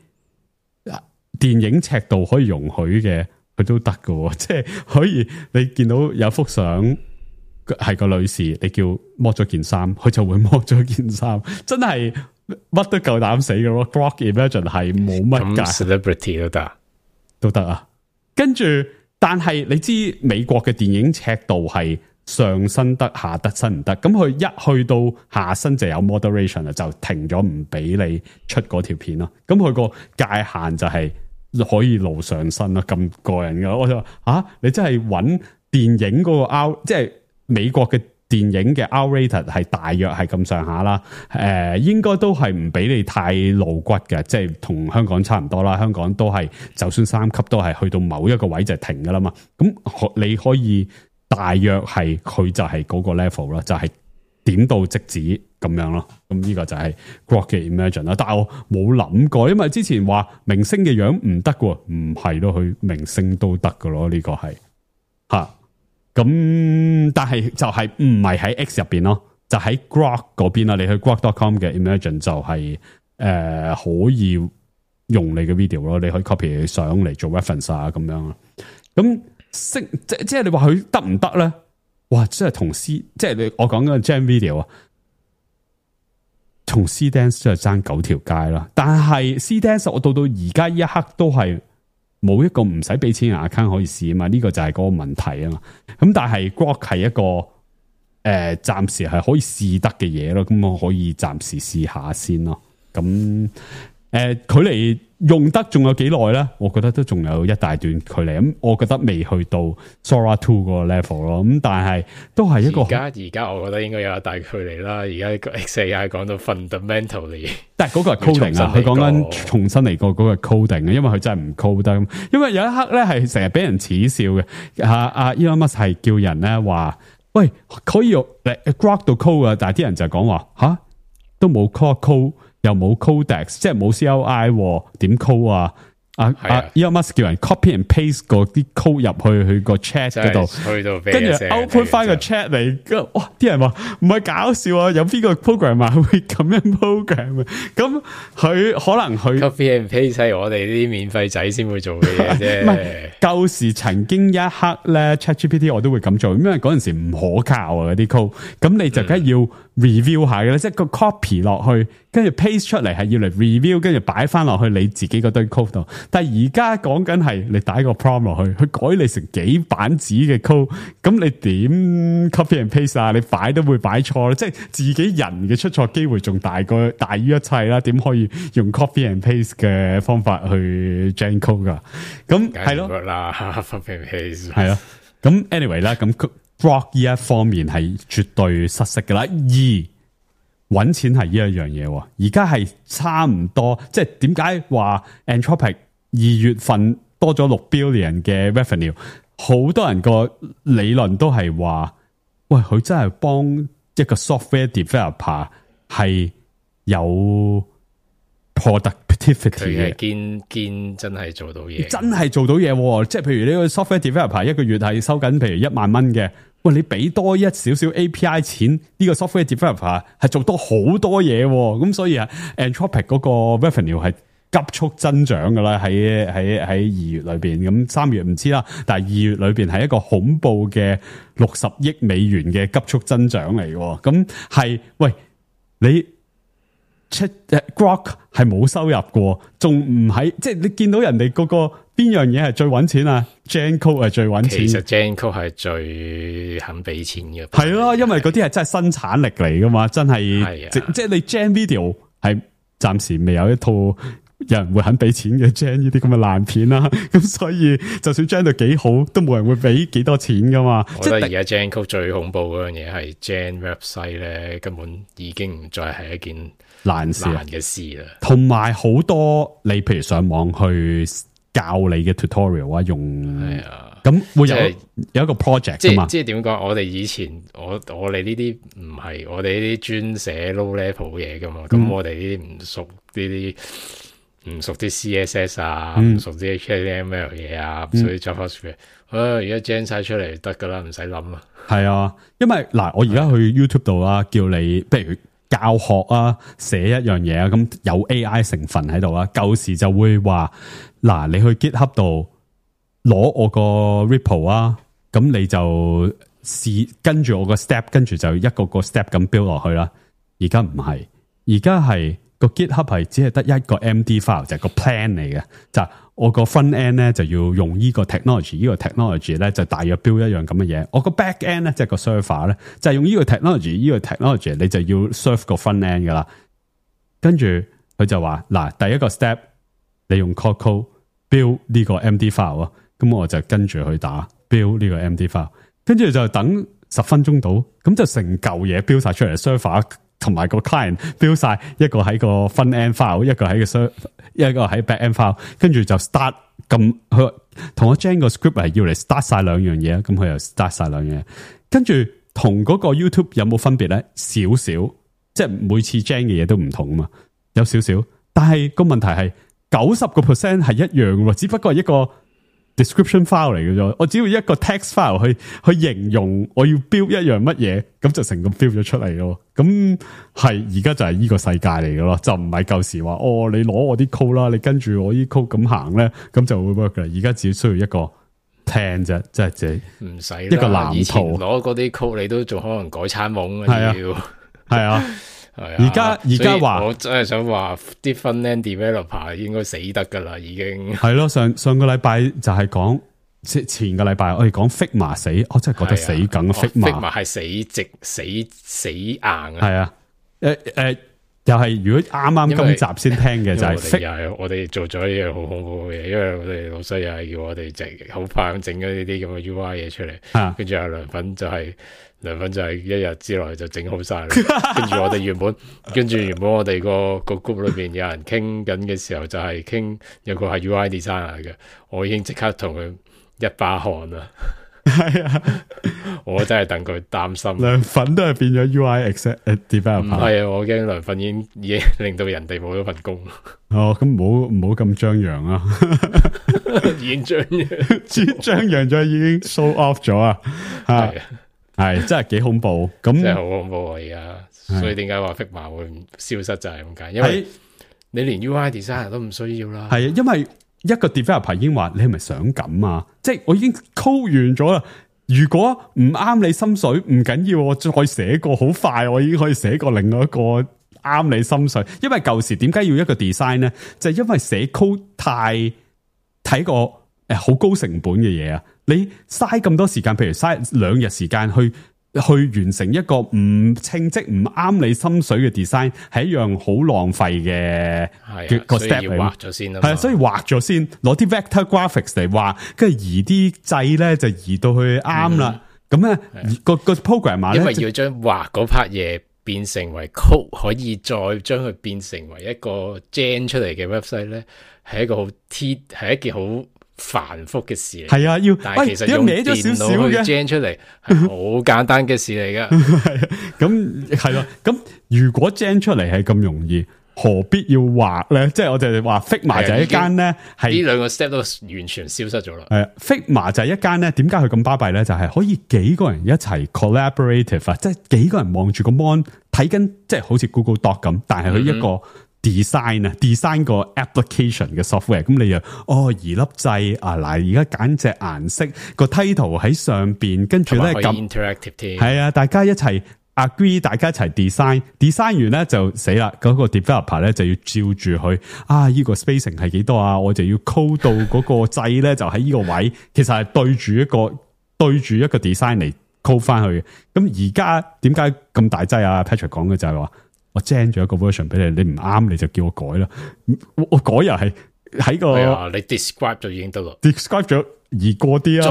電影尺度可以容許嘅，佢都得㗎，即係可以你見到有幅相。係個女士，你叫剝咗件衫，佢就會剝咗件衫，真係乜都夠膽死嘅咯。Grok Emergent 係冇乜㗎 ，celebrity 都得啊。跟住，但係你知美國嘅電影尺度係上身得下得身唔得，咁佢一去到下身就有 moderation 啦，就停咗唔俾你出嗰條片咯。咁佢個界限就係可以露上身咯，咁過癮㗎。我就話你真係揾電影嗰個 R， 即係。美國嘅電影嘅 R-rated 係大約係咁上下啦，應該都係唔俾你太露骨嘅，即係同香港差唔多啦。香港都係就算3級都係去到某一個位就停噶啦嘛。咁你可以大約係佢就係嗰個 level 啦，就係點到即止咁樣咯。咁呢個就係 Grok 嘅 Emergent 啦。但係我冇諗過，因為之前話明星嘅樣唔得喎，唔係咯，佢明星都得噶咯，呢個係吓。咁但係就係唔係喺 X 入邊咯，就喺 Grok 嗰邊啦。你去 Grok.com 嘅 Emergent 就係可以用你嘅 video 咯，你可以 copy 你相嚟做 reference 啊咁樣。咁即係你話佢得唔得咧？哇！即係同 即係我講緊 Jam Video 啊，同 C-Dance 真係爭9條街啦。但係 C-Dance 我到而家呢一刻都係。冇一個唔使俾錢嘅 account 可以試啊嘛，呢個就係嗰個問題啊嘛。咁但係 Grok 係一個暫時係可以試得嘅嘢咯，咁我可以暫時試下先咯。咁距離用得仲有幾耐咧？我覺得都仲有一大段距離。咁我覺得未去到 Sora 2嗰個 level 咯。咁但係都係一個而家我覺得應該有一大距離啦。而家個 XAI 講到 fundamentally， 但係嗰個係 coding 啊，佢講緊重新嚟過嗰個 coding 啊，因為佢真係唔 code 得。因為有一刻咧係成日俾人恥笑嘅。Elon Musk 係叫人咧話，喂，可以用 Grok 到 code 啊，但係啲人就講話吓都冇 code。又冇 codex， 即係冇 CLI， 點 code 啊？Elon Musk 叫人 copy and paste 嗰啲 code 入去個 chat 嗰度，跟住 output 翻個 chat 嚟，哇！啲人話唔係搞笑啊，有邊個 programmer 會咁樣 program 啊？咁佢可能佢 copy and paste 係我哋啲免費仔先會做嘅嘢啫。唔係舊時曾經一刻咧 ChatGPT 我都會咁做，因為嗰陣時唔可靠啊嗰啲 code， 咁你就梗係要 review 下嘅啦，即係個 copy 落去，跟住 paste 出嚟係要嚟 review， 跟住擺翻落去你自己嗰堆 code 度。但係而家講緊係你打個 prompt 落去，佢改你成幾版紙嘅 code， 咁你點 copy and paste 啊？你擺都會擺錯啦，即係自己人嘅出錯機會仲大於一切啦。點可以用 copy and paste 嘅方法去 gen code 噶？咁係咯，啦 copy and paste 係咯。咁 anyway 啦，咁 Grok 呢一方面係絕對失色噶啦。揾錢係呢一樣嘢喎，而家係差唔多，即係點解話 Anthropic 2月份多咗6 billion 嘅 revenue， 好多人個理論都係話，喂，佢真係幫一個 software developer 係有 productivity 嘅，堅真係做到嘢，真係做到嘢喎，即係譬如呢個 software developer 一個月係收緊譬如1萬蚊嘅。喂，你俾多一少少 API 錢，呢個 software developer 係做多好多嘢，咁所以啊 ，Anthropic 嗰個 revenue 係急速增長噶啦，喺2月裏邊，咁3月唔知啦，但係2月裏邊係一個恐怖嘅60億美元嘅急速增長嚟嘅，咁係喂你出 Grok 係冇收入嘅，仲唔喺即係你見到人哋嗰個邊樣嘢係最揾錢啊 ？Gen Code 係最揾錢，其實 Gen Code 係最肯俾錢嘅，係咯，因為嗰啲係真係生產力嚟噶嘛，真係即係你 Gen Video 係暫時未有一套有人會肯俾錢嘅 Gen 呢啲咁嘅爛片啦，咁所以就算 Gen 到幾好，都冇人會俾幾多錢噶嘛。我覺得而家 Gen Code 最恐怖嗰樣嘢係 Gen website 咧，根本已經唔再係一件難嘅事啦。同埋好多你譬如上網去教你嘅 tutorial 啊，用係啊，咁會有一個 project 㗎嘛。即係點講？我哋以前我哋呢啲唔係我哋呢啲專寫 low level 嘢噶嘛，咁我哋呢啲唔熟啲 CSS 啊，唔熟啲 HTML 嘢啊，所以 JavaScript，而家 gen 晒出嚟得噶啦，唔使諗啊。係啊，因為嗱，我而家去 YouTube 度啦，叫你譬如教學啊，寫一樣嘢啊，咁有 AI 成分喺度啦。舊時就會話，嗱，你去 GitHub 度攞我個 repo 啊，咁你就試跟住我個 step， 跟住就一個個 step 咁 build 落去啦。而家唔係，而家係個 GitHub 係只係得一個 MD file，就係個 plan 嚟嘅，就係我個 front end 咧就要用呢個 technology， 呢個 technology 咧就大約 build 一樣咁嘅嘢。我個 back end 咧即係個 server 咧就係用呢個 technology， 呢個 technology 你就要 serve 個 front end 噶啦。跟住佢就話嗱，第一個 step 你用 code build 呢個 MD file 啊，咁我就跟住去打 build 呢個 MD file， 跟住就等10分鐘到，咁就成嚿嘢 build 晒出嚟 server。同埋個 client build 晒，一個喺個 front end file， 一個喺個 server， 一個喺 back end file， 跟住就 start 咁佢同我 Gen 個 script 係要嚟 start 晒兩樣嘢，咁佢又 start 晒兩樣嘢，跟住同嗰個 YouTube 有冇分別咧？少少，即係每次 Gen 嘅嘢都唔同啊嘛，有少少，但係個問題係90% 係一樣喎，只不過係一個 description file 嚟嘅啫，我只要一個 text file 去形容我要 build 一樣乜嘢，咁就成個 build 咗出嚟咯。咁係而家就係呢個世界嚟嘅咯，就唔係舊時話哦，你攞我啲 code 啦，你跟住我啲 code 咁行咧，咁就會 work 嘅。而家只需要一個 plan 啫，即係唔使一個藍圖。攞嗰啲 code 你都仲可能改餐懵啊，係啊。而家話我真係想話啲 front-end developer 應該死得噶啦，已經係咯。上個禮拜就係講前個禮拜我哋講 Figma 死，我真係覺得死梗。Figma 係死硬啊。係啊，又係如果啱啱今集先聽嘅就係我哋做咗一樣好恐怖嘅嘢，因為我哋老細又係叫我哋整好快咁整咗呢啲咁嘅 UI 嘢出嚟，跟住阿涼粉就係一日之內就整好晒啦。跟住我哋原本我哋個 group 裏邊有人傾緊嘅時候，就係傾有個係 UI designer 嘅，我已經即刻同佢一把汗啦。係啊，我真係戥佢擔心。涼粉都係變咗 UI developer。係啊，我驚涼粉已經令到人哋冇咗份工。哦，咁唔好咁張揚啊！已經張揚咗，已經 show off 咗啊！係真係幾恐怖。咁真係好恐怖啊！而家，所以點解話 Figma 會消失就係咁解，因為你連 UI designer 都唔需要啦。係啊，因為一個 developer 已經話你係咪想咁啊？即係我已經 code 完咗啦。如果唔啱你心水，唔緊要，我再寫個好快，我已經可以寫個另外一個啱你心水。因為舊時點解要一個 design 咧？就係因為寫 code 太睇個好高成本嘅嘢啊！你嘥咁多時間，譬如嘥2日時間去完成一個唔稱職、唔啱你心水嘅 design， 係一樣好浪費嘅個 step 嚟。畫咗先啦，係啊，所以畫咗先，攞啲 vector graphics 嚟畫，跟住移啲掣咧就移到去啱啦。咁咧個 programmer 因為要將畫嗰 part 嘢變成為 code，可以再將佢變成為一個 gen 出嚟嘅 website 咧，係一個係一件好繁複嘅事嚟。係啊，但係其實用電腦去 gen 出嚟係好簡單嘅事嚟噶。咁係咯，咁如果 gen 出嚟係咁容易，何必要畫咧？即係我哋話 Figma 就係一間咧，係呢兩個 step 都完全消失咗啦。Figma 就係一間咧，點解佢咁巴閉咧？就係可以幾個人一齊 collaborative 啊，即係幾個人望住個 mon 睇緊，即係好似 Google Doc 咁，但係佢一個 design 個 application 嘅 software。咁你又移粒掣啊，嗱而家揀隻顏色個 title 喺上邊，跟住咧咁 interactive 添。係啊，大家一齊。agree 大家一齊 design 完咧就死啦，嗰個 developer 咧就要照住佢呢個 spacing 係幾多啊，我就要 code 到嗰個掣咧就喺呢個位，其實係對住一個 design 嚟 code 翻去嘅。咁而家點解咁大劑啊 Patrick 講嘅就係話我 gen 咗一個 version 俾你，你唔啱你就叫我改啦，我改又係喺個你 describe 就已經得啦 describe 咗而過啲啊，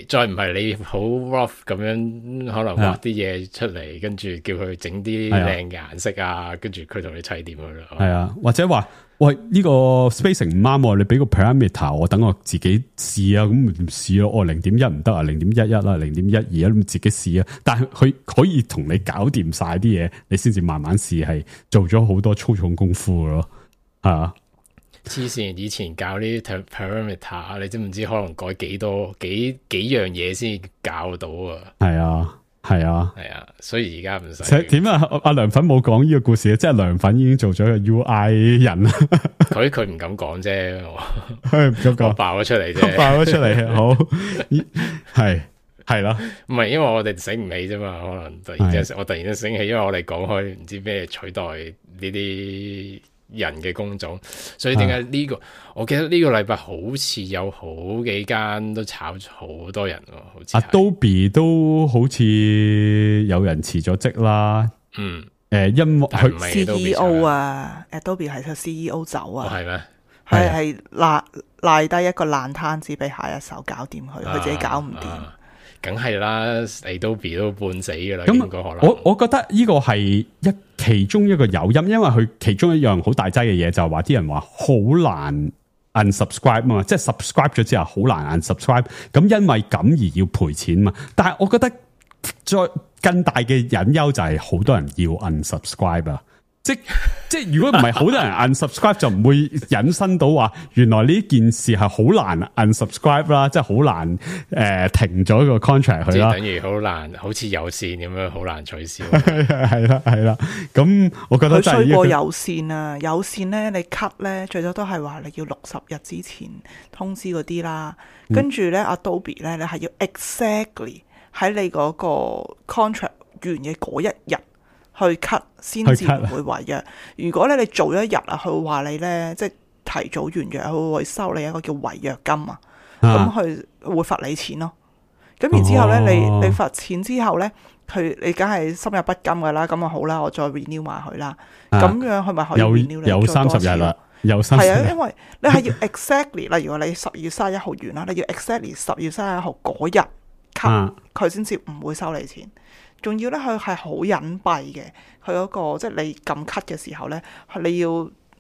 再唔係你好 rough 咁樣，可能畫啲嘢出嚟，跟住叫佢整啲靚嘅顏色啊，跟住佢同你砌掂佢啦。係啊，或者話喂呢個 spacing 唔啱，你俾個 parameter 我等我自己試啊，咁唔試咯。0.1唔得啊，0.11啦，0.12啊，咁自己試啊。但係佢可以同你搞掂晒啲嘢，你先至慢慢試，係做咗好多粗重功夫咯，係啊。黐線！以前教呢啲 parameter， 你知唔知可能改幾樣嘢先教到啊？係啊，所以而家唔使點啊？阿涼粉冇講呢個故事，即係涼粉已經做咗個 UI 人啦。佢唔敢講啫，唔敢講，爆咗出嚟啫，爆咗出嚟。好係啦，唔係因為我哋醒唔起啫嘛，可能我突然間醒起，因為我哋講開唔知咩取代呢啲人嘅工種，所以點解呢個？我記得呢個禮拜好似有好幾間都炒咗好多人喎，好似 Adobe 都好似有人辭咗職啦。因為佢 CEO 啊 ，Adobe 係個 CEO 走啊，係咩？係賴低一個爛攤子俾下一手搞掂佢自己搞唔掂。梗係啦 ，Adobe 都半死噶啦，咁應該可能。我覺得呢個係其中一個誘因，因為佢其中一樣好大劑嘅嘢就係話啲人話好難 unsubscribe 嘛，即係 subscribe 咗之後好難 unsubscribe， 咁因為咁而要賠錢嘛。但係我覺得再更大嘅隱憂就係好多人要 unsubscribe 啊。即係如果唔係好多人 unsubscribe 就唔會引申到話原來呢件事係好難 unsubscribe 啦，即係好難停咗個 contract 去啦，即係等於好難好似有線咁樣好難取消。係啦，咁我覺得真係佢衰過有線啊！有線咧你 cut 咧最多都係話你要60日之前通知嗰啲啦，跟住咧 Adobe 咧你係要 exactly 喺你嗰個 contract 完嘅嗰一日去 cut 先至唔會違約。如果你做咗一日啊，佢會話你咧即係提早完約，佢會收你一個叫違約金啊。咁佢會罰你錢咯。咁然之後咧，你罰錢之後咧，你梗係心有不甘噶啦。咁啊好啦，我再 renew 埋佢啦。咁樣佢咪可以 renew 你有30日啦，有30日。係啊，因為你係要 exactly， 例如話你12月31號完啦，你要 exactly 12月31號嗰日 cut 佢先至唔會收你錢。仲要咧，佢係好隱蔽嘅，佢嗰個即係你撳 cut 嘅時候咧，你要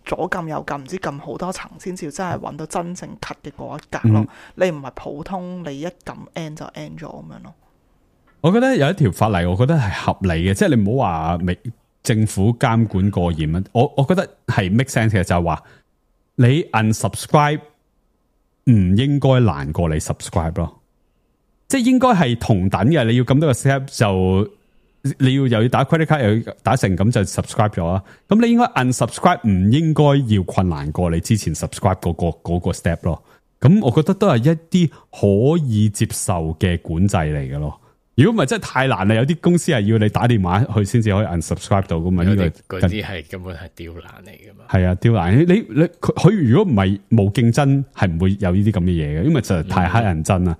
左撳右撳，唔知撳好多層先至真係揾到真正 cut 嘅嗰一格咯。你唔係普通你一撳 end 就 end 咗咁樣咯。我覺得有一條法例，我覺得係合理嘅，即係你唔好話政府監管過嚴啊。我覺得係 make sense 嘅，就係話你 unsubscribe 唔應該難過你 subscribe 咯。即係應該係同等嘅，你要咁多個 step 就你又要打 credit card 又要打成咁就 subscribe 咗啦。咁你應該 unsubscribe 唔應該要困難過你之前 subscribe 嗰個 step 咯。咁我覺得都係一啲可以接受嘅管制嚟嘅咯。如果唔係真係太難啦，有啲公司係要你打電話去先至可以 unsubscribe 到噶嘛。呢個嗰啲係根本係刁難嚟噶嘛。係啊，刁難你佢如果唔係冇競爭，係唔會有呢啲咁嘅嘢嘅，因為就太乞人憎啦。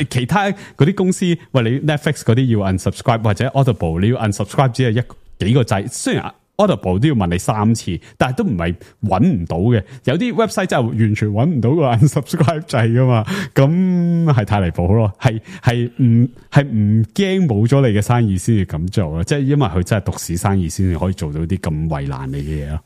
其他嗰啲公司，喂你 Netflix 嗰啲要 unsubscribe 或者 Audible 你要 unsubscribe 只係幾個掣，雖然 Audible 都要問你3次，但係都唔係揾唔到嘅。有啲 website 真係完全揾唔到個 unsubscribe 掣噶嘛，咁係太離譜咯。係唔驚冇咗你嘅生意先至咁做咯，即係因為佢真係獨市生意先至可以做到啲咁為難你嘅嘢咯。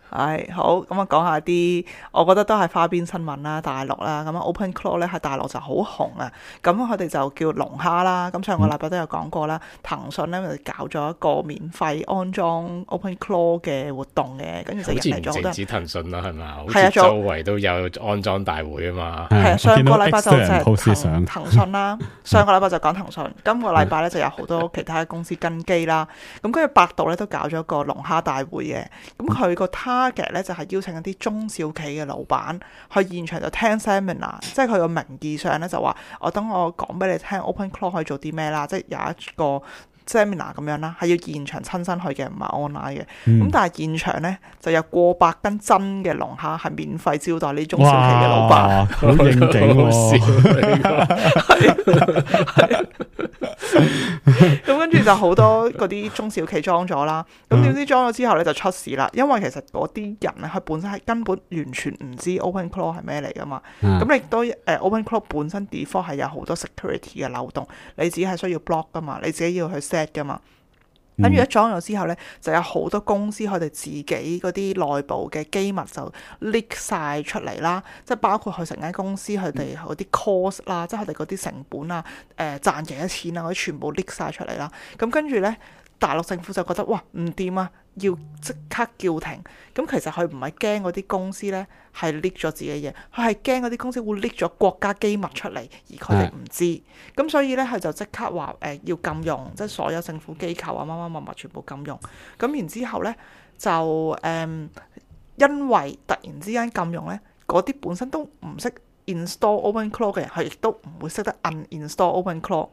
係好咁啊，講下啲我覺得都係花邊新聞啦，大陸啦，咁啊 OpenClaw 咧喺大陸就好紅啊，咁佢哋就叫龍蝦啦，咁上個禮拜都有講過啦，騰訊咧就搞咗一個免費安裝 OpenClaw 嘅活動嘅，跟住就引嚟咗好多人。好似唔淨止騰訊啦，係嘛？好似周圍都有安裝大會啊嘛。係啊，上個禮拜就係騰訊啦，上個禮拜就講騰訊，今個禮拜咧就有好多其他公司跟機啦，咁跟住百度咧都搞咗個龍蝦大會嘅，咁佢個target咧就係邀請一啲中小企嘅老闆去現場就聽 seminar， 即係佢個名義上咧就話等我講俾你聽 OpenClaw 可以做啲咩啦，即係有一個 seminar 咁樣啦，係要現場親身去嘅，唔係 online 嘅。咁但係現場咧就有過百斤真嘅龍蝦係免費招待呢中小企嘅老闆，好應景喎。咁跟住就好多嗰啲中小企裝咗啦，咁點知裝咗之後咧就出事啦，因為其實嗰啲人咧佢本身係根本完全唔知 OpenClaw 係咩嚟噶嘛，咁亦都OpenClaw 本身 default 係有好多 security 嘅漏洞，你只係需要 block 噶嘛，你自己要去 set 噶嘛。跟住一裝咗之後咧，就有好多公司佢哋自己嗰啲內部嘅機密就 leak 晒出嚟啦，即係包括佢成間公司佢哋嗰啲 cost 啦，即係佢哋嗰啲成本啊，賺幾多錢啊，嗰啲全部 leak 晒出嚟啦。咁跟住咧，大陸政府就覺得哇唔掂啊，要即刻叫停。咁其實佢唔係驚嗰啲公司咧係 leak 咗自己嘢，佢係驚嗰啲公司會 leak 咗國家機密出嚟，而佢哋唔知。咁所以咧，佢就即刻話要禁用，即係所有政府機構啊乜全部禁用。咁然之後咧就因為突然之間禁用咧，嗰啲本身都唔識 install OpenClaw 嘅人，佢亦都唔會識得 uninstall OpenClaw。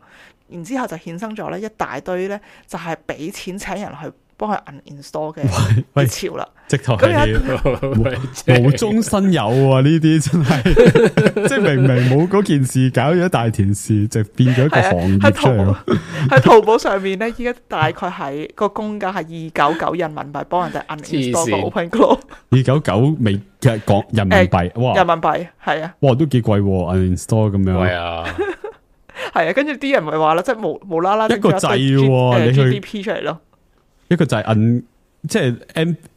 然之後就衍生咗咧一大堆咧，就係俾錢請人去幫佢 uninstall 嘅潮啦。直頭係無中生有啊！呢啲真係即係明明冇嗰件事，搞咗一大件事，就變咗一個行業出嚟咯。喺淘寶上面咧，依家大概係個公價係299人民幣幫人哋 uninstall 個 OpenClaw。299未講人民幣，哇！人民幣係啊，哇都幾貴 uninstall 咁樣。係啊。係啊，跟住啲人咪話啦，即係無啦啦一個掣喎，你去 GDP 出嚟咯，一個掣即係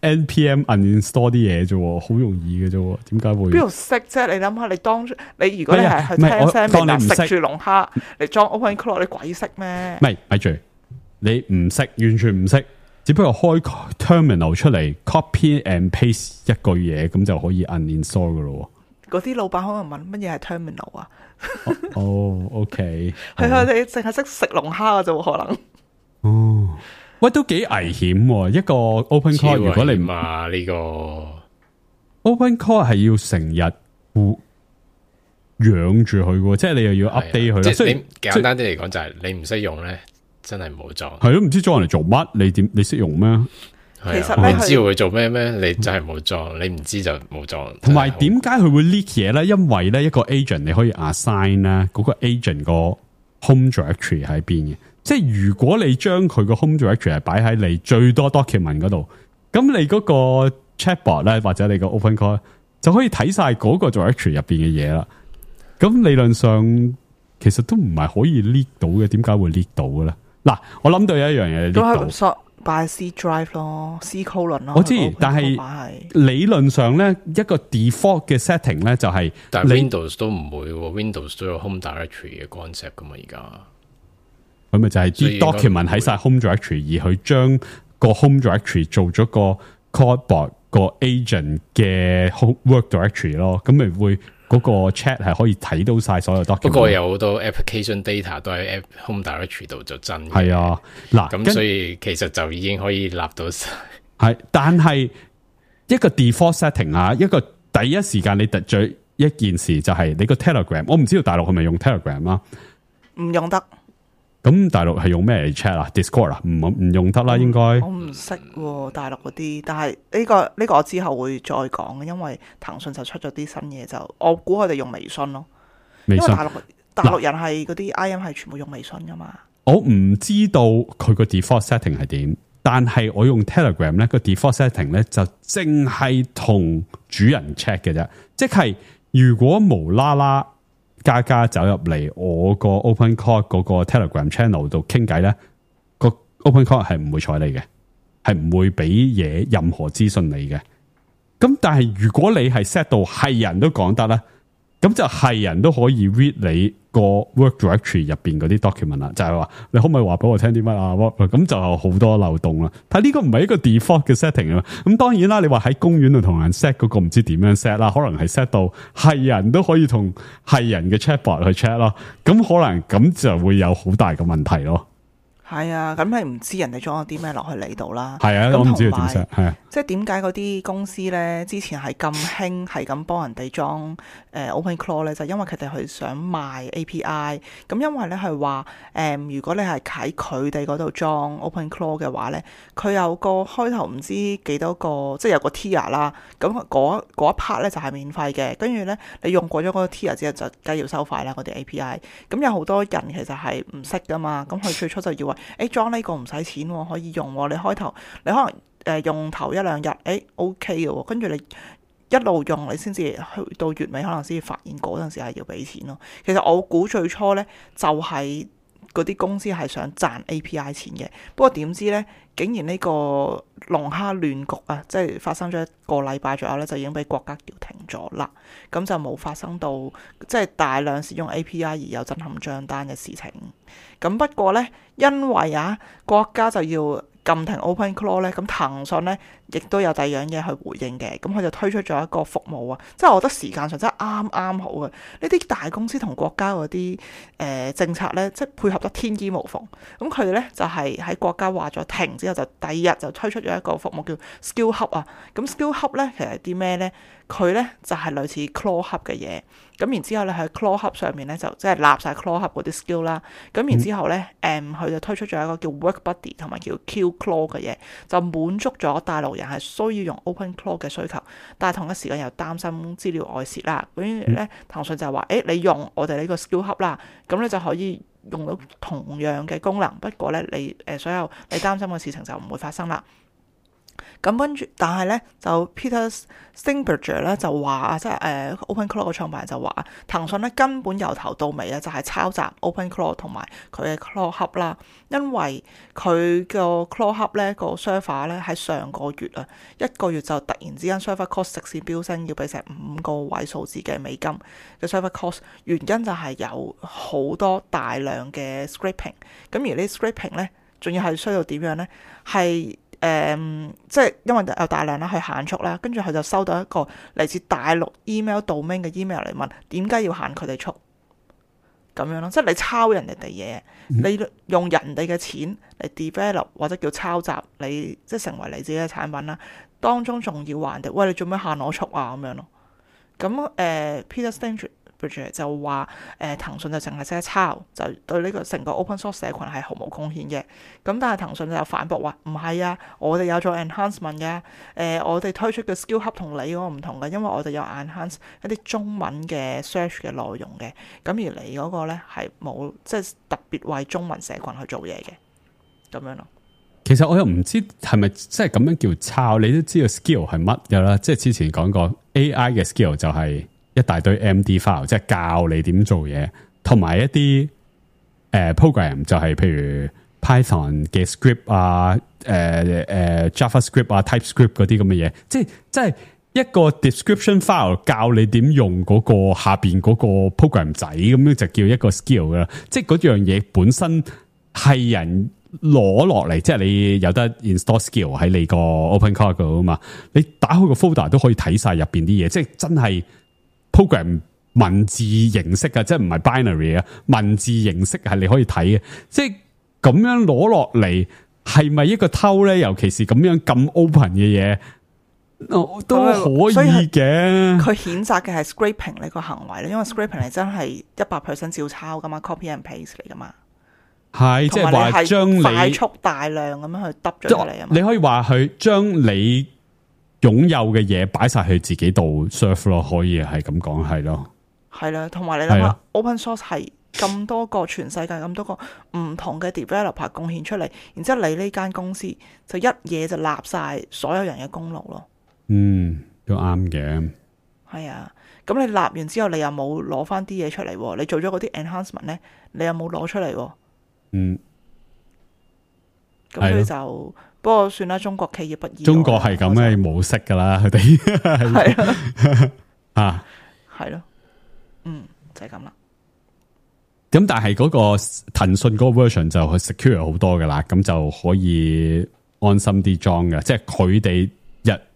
npm uninstall 啲嘢啫，好容易嘅啫，點解會？邊度識啫？你諗下，你當你如果你係去聽聲明食住龍蝦嚟裝 OpenClaw，你鬼識咩？咪住，你唔識，完全唔識，只不過開 terminal 出嚟 copy and paste 一句嘢，咁就可以 uninstall 噶咯。嗰啲老闆可能問乜嘢係 terminal 啊？OK，係佢哋淨係識食龍蝦嘅啫，可能。哦，喂，都幾危險喎！一個 OpenClaw， 如果你唔呢個 OpenClaw 係要成日養住佢嘅，即係你又要 update 佢。即係你簡單啲嚟講，就係你唔識用咧，真係唔好裝。係咯，唔知裝嚟做乜？你識用咩？其實你知道佢做咩？你真係冇裝，你唔知就冇裝。同埋點解佢會 leak 嘢咧？因為咧一個 agent 你可以 assign 咧嗰個 agent 個 home directory 喺邊嘅。即係如果你將佢個 home directory 係擺喺你最多 document 嗰度，咁你嗰個 chatbot 咧或者你個 OpenClaw 就可以睇晒嗰個 directory 入邊嘅嘢啦。咁理論上其實都唔係可以 leak 到嘅，點解會 leak 到嘅咧？嗱，我諗到有一樣嘢 leak 到。擺 C drive 咯 ，C colon 咯。我知，但係理論上咧，一個 default 嘅 setting 咧就係，但係 Windows 都唔會 ，Windows 都有 home directory 嘅 concept 噶嘛，而家佢咪就係啲 document 喺晒 home directory，而佢將個 home directory 做咗個 codebot 個 agent 嘅 work directory 咯，咁咪會。嗰個 chat 係可以睇到晒所有 document，不過有好多 application data 都喺 home directory 度就真嘅。係啊，嗱，咁所以其實就已經可以立到晒。係，但係一個 default setting 啊，一個第一時間你突咗一件事就係你個 Telegram， 我唔知道大陸係咪用 Telegram 啊？唔用得。咁大陸係用咩嚟 chat 啊 ？Discord 啊？唔用得啦，應該。我唔識大陸嗰啲，但係呢個我之後會再講，因為騰訊就出咗啲新嘢，就我估佢哋用微信咯。微信。因為大陸人係嗰啲 IM 係全部用微信噶嘛。我唔知道佢個 default setting 係點，但係我用 Telegram 咧個 default setting 咧就淨係同主人 check 嘅啫，即係如果無啦啦嘉嘉走入嚟我個 OpenClaw 嗰個 Telegram channel 度傾偈咧，個 OpenClaw 係唔會睬你嘅，係唔會俾嘢任何資訊你嘅。咁但係如果你係 set 到係人都講得咧，咁就係人都可以 read 你個 work directory 入邊嗰啲 document 啦，就係話你可唔可以話俾我聽啲乜啊？咁就有好多漏洞啦。但係呢個唔係一個 default 嘅 setting 啊。咁當然啦，你話喺公園度同人 set 嗰個唔知點樣 set 啦，可能係 set 到係人都可以同係人嘅 chatbot 去 chat 咯。咁可能咁就會有好大嘅問題咯。係啊，咁你唔知人哋裝咗啲咩落去你度啦。係啊，我唔知佢點 set。係啊，即係點解嗰啲公司咧之前係咁興，係咁幫人哋裝OpenClaw 咧，就因為佢哋去想賣 API。咁因為咧係話如果你係喺佢哋嗰度裝 OpenClaw 嘅話咧，佢有個開頭唔知幾多個，即係有個 tier 啦。咁嗰一 part 咧就係免費嘅，跟住咧你用過咗嗰個 tier 之後就梗係要收費啦。嗰啲 API。咁有好多人其實係唔識噶嘛，咁佢最初就以為裝呢個唔使錢喎，可以用喎。你開頭你可能用頭一兩日OK 嘅喎，跟住你一路用你先至去到月尾，可能先至發現嗰陣時係要俾錢咯。其實我估最初咧就係嗰啲公司係想賺 API 錢嘅，不過點知咧竟然呢個龍蝦亂局啊，即係發生咗一個禮拜左右咧，就已經俾國家叫停咗啦。咁就冇發生到即係大量使用 API 而有震撼帳單嘅事情。咁不過咧，因為國家就要禁停 OpenClaw 咧，咁騰訊咧亦都有第二樣嘢去回應嘅，咁佢就推出咗一個服務啊，即係我覺得時間上真係啱啱好嘅。呢啲大公司同國家嗰啲政策咧，即係配合得天衣無縫。咁佢哋咧就係喺國家話咗停之後，就第二日就推出咗一個服務叫 Skill Hub 啊。咁 Skill Hub 咧其實係啲咩咧？佢咧就係類似 Claw Hub 嘅嘢。咁然之後咧喺 Claw Hub 上面咧就即係立晒 Claw Hub 嗰啲 skill 啦。咁然之後咧佢就推出咗一個叫 Work Buddy 同埋叫 Q-Claw 嘅嘢，就滿足咗大陸人係需要用 OpenClaw 嘅需求，但係同一時間又擔心資料外泄啦。咁咧騰訊就話你用我哋呢個 Skill Hub 啦，咁你就可以用到同樣嘅功能，不過咧你所有你擔心嘅事情就唔會發生啦。咁跟住，但係咧就 Peter Steenbergen 咧就話即係OpenClaw 嘅創辦人就話，騰訊咧根本由頭到尾咧就係抄襲 OpenClaw 同埋佢嘅 Claw Hub 啦，因為佢個 Claw Hub 咧個 server 咧喺上個月一個月就突然之間 server cost 直線飆升，要俾成5個位數字嘅美金嘅 server cost， 原因就係有好多大量嘅 scraping， 咁而呢 scraping 咧仲要係需要點樣咧？係即係因為有大量啦去限速啦，跟住佢就收到一個嚟自大陸 email domain 嘅 email 嚟問點解要限佢哋速咁樣咯，即係你抄人哋嘅嘢，你用人哋嘅錢嚟 develop 或者叫抄襲你，即係成為你自己嘅產品啦，當中仲要話人哋喂，你做咩限我速啊咁樣咯。咁Peter Steenbergen就話騰訊就淨係識得抄，就對呢個成個 open source 社群係毫無貢獻嘅。咁但係騰訊就反駁話唔係啊，我哋有做 enhancement 嘅，我哋推出嘅 Skill Hub 同你嗰個唔同嘅，因為我哋有 enhance 一啲中文嘅 search 嘅內容嘅，咁而你嗰個咧係冇即係特別為中文社群去做嘢嘅咁樣咯。其實我又唔知係咪即係咁樣叫抄，你都知道 skill 係乜嘅啦，即係之前講過 AI 嘅 skill 就係一大堆 MD file， 即係教你點做嘢，同埋一啲program 就係譬如 Python 嘅 script 啊，JavaScript 啊 TypeScript 嗰啲咁嘅嘢，即係一個 description file 教你點用嗰個下邊嗰個 program 仔，咁樣就叫一個 skill 噶啦。即係嗰樣嘢本身係人攞落嚟，即係你有得 install skill 喺你個 OpenClaw 度啊嘛，你打開個 folder 都可以睇晒入邊啲嘢，即係真係 program 文字形式啊，即係唔係 binary 啊，文字形式係你可以睇嘅，即係咁樣攞落嚟係咪一個偷咧？尤其是咁樣咁 open 嘅嘢，都可以嘅。佢譴責嘅係 scraping 呢個行為咧，因為 scraping 係真係100% 照抄噶嘛 ，copy and paste 嚟噶嘛。係，即係話將你快速大量咁樣去揼咗出嚟啊嘛！你可以話佢將你擁有嘅嘢擺晒去自己度 serve 咯，可以係咁講，係咯，係啦。同埋你諗下 ，open source 係咁多個全世界咁多個唔同嘅 developer 貢獻出嚟，然之後你呢間公司就一嘢就立晒所有人嘅功勞咯。都啱嘅。係啊，咁你立完之後，你又冇攞翻啲嘢出嚟喎，你做咗嗰啲 enhancement 咧，你又冇攞出嚟喎。咁佢就不過算啦，中國企業不易。中國係咁嘅模式噶啦，佢哋係啊，係咯，就係咁啦。咁但係嗰個騰訊嗰個 version 就 secure 好多噶啦，咁就可以安心啲裝嘅，即係佢哋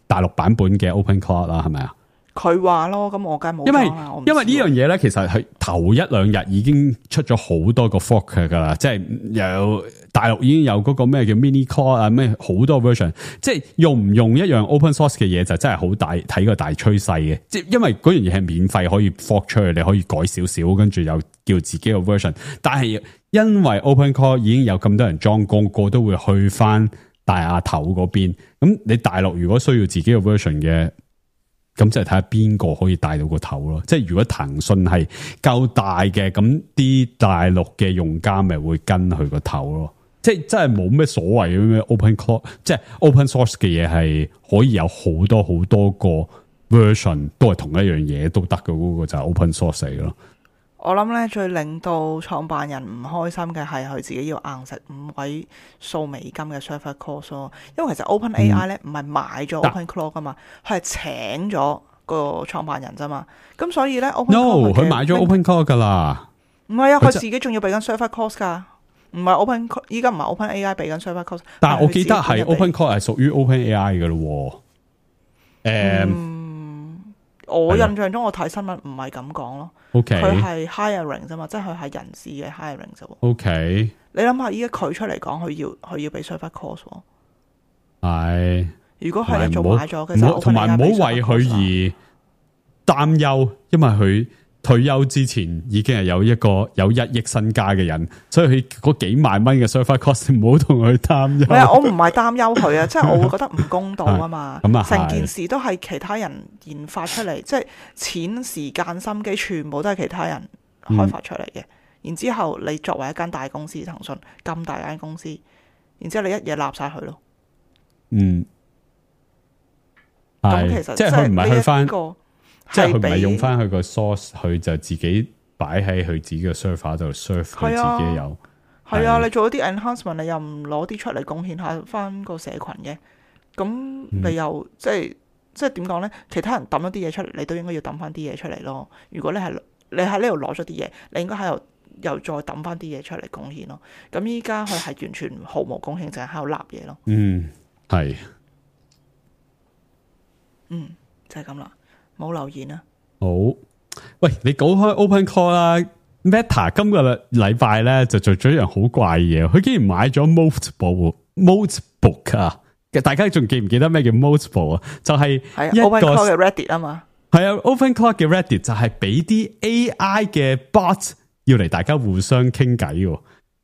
大陸版本嘅 Open Cloud 啦，係咪啊？佢話咯，咁我梗係冇裝啦。因為呢樣嘢咧，其實係頭一兩日已經出咗好多個 fork 噶啦，即係有大陸已經有嗰個咩叫 mini core 啊，咩好多 version， 即係用唔用一樣 open source 嘅嘢就真係好大睇個大趨勢嘅，即係因為嗰樣嘢係免費可以 fork 出去，你可以改少少，跟住又叫自己個 version， 但係因為 open core 已經有咁多人裝，個個都會去翻大亞頭嗰邊，咁你大陸如果需要自己個 version 嘅。咁即係睇下邊個可以帶到個頭咯，即係如果騰訊係夠大嘅，咁啲大陸嘅用家咪會跟佢個頭咯，即係真係冇咩所謂嘅咩 open cloud， 即係 open source 嘅嘢係可以有好多好多個 version 都係同一樣嘢都得嘅，嗰個就係 open source 嚟嘅咯。我諗咧最令到創辦人唔開心嘅係佢自己要硬食5位數美金嘅 server cost 咯，因為其實 OpenAI 咧唔係買咗 OpenClaw 噶嘛，佢係請咗個創辦人咋嘛，咁所以咧 OpenClaw 佢買咗 OpenClaw 噶啦，唔係啊，佢自己仲要俾緊 server cost 噶，唔係 OpenClaw， 依家唔係 OpenAI 俾緊 server cost， 但係我記得係 OpenClaw 係屬於 OpenAI 噶咯，我印象中我睇新聞唔係咁講咯。佢係 hiring 啫嘛，即係佢係人事嘅 hiring 啫。OK， 你諗下，依家佢出嚟講，佢要俾 server cost。係，如果係你做買咗嘅，同埋唔好為佢而擔憂，因為佢退休之前已經係有1億身家嘅人，所以佢嗰幾萬蚊嘅 server cost 唔好同佢擔憂。我唔係擔憂佢啊，即係我會覺得唔公道啊嘛。成件事都係其他人研發出嚟，即係錢、時間、心機，全部都係其他人開發出嚟嘅。然之後你作為一間大公司，騰訊咁大間公司，然之後你一嘢立晒佢咯。咁其實即係佢唔係去翻個。即係佢唔係用翻佢個 source， 佢就自己擺喺佢自己嘅 server 度 serve 佢自己有。係啊，你做咗啲 enhancement， 你又唔攞啲出嚟貢獻下翻個社群嘅，咁你又即係點講咧？其他人抌咗啲嘢出嚟，你都應該要抌翻啲嘢出嚟咯。如果你喺呢度攞咗啲嘢，你應該喺度又再抌翻啲嘢出嚟貢獻咯。咁依家佢係完全毫無貢獻，淨係喺度立嘢咯。係。就係咁啦。冇留言啊！好，喂，你講開 OpenClaw 啦 ，Meta 今個禮拜咧就做咗一樣好怪嘢，佢竟然買咗 Moltbook 啊！大家仲記唔記得咩叫 Moltbook 啊？就係一個 OpenClaw 嘅 Reddit 啊嘛，係啊 ，OpenClaw 嘅 Reddit 就係俾啲 AI 嘅 bot 要嚟大家互相傾偈。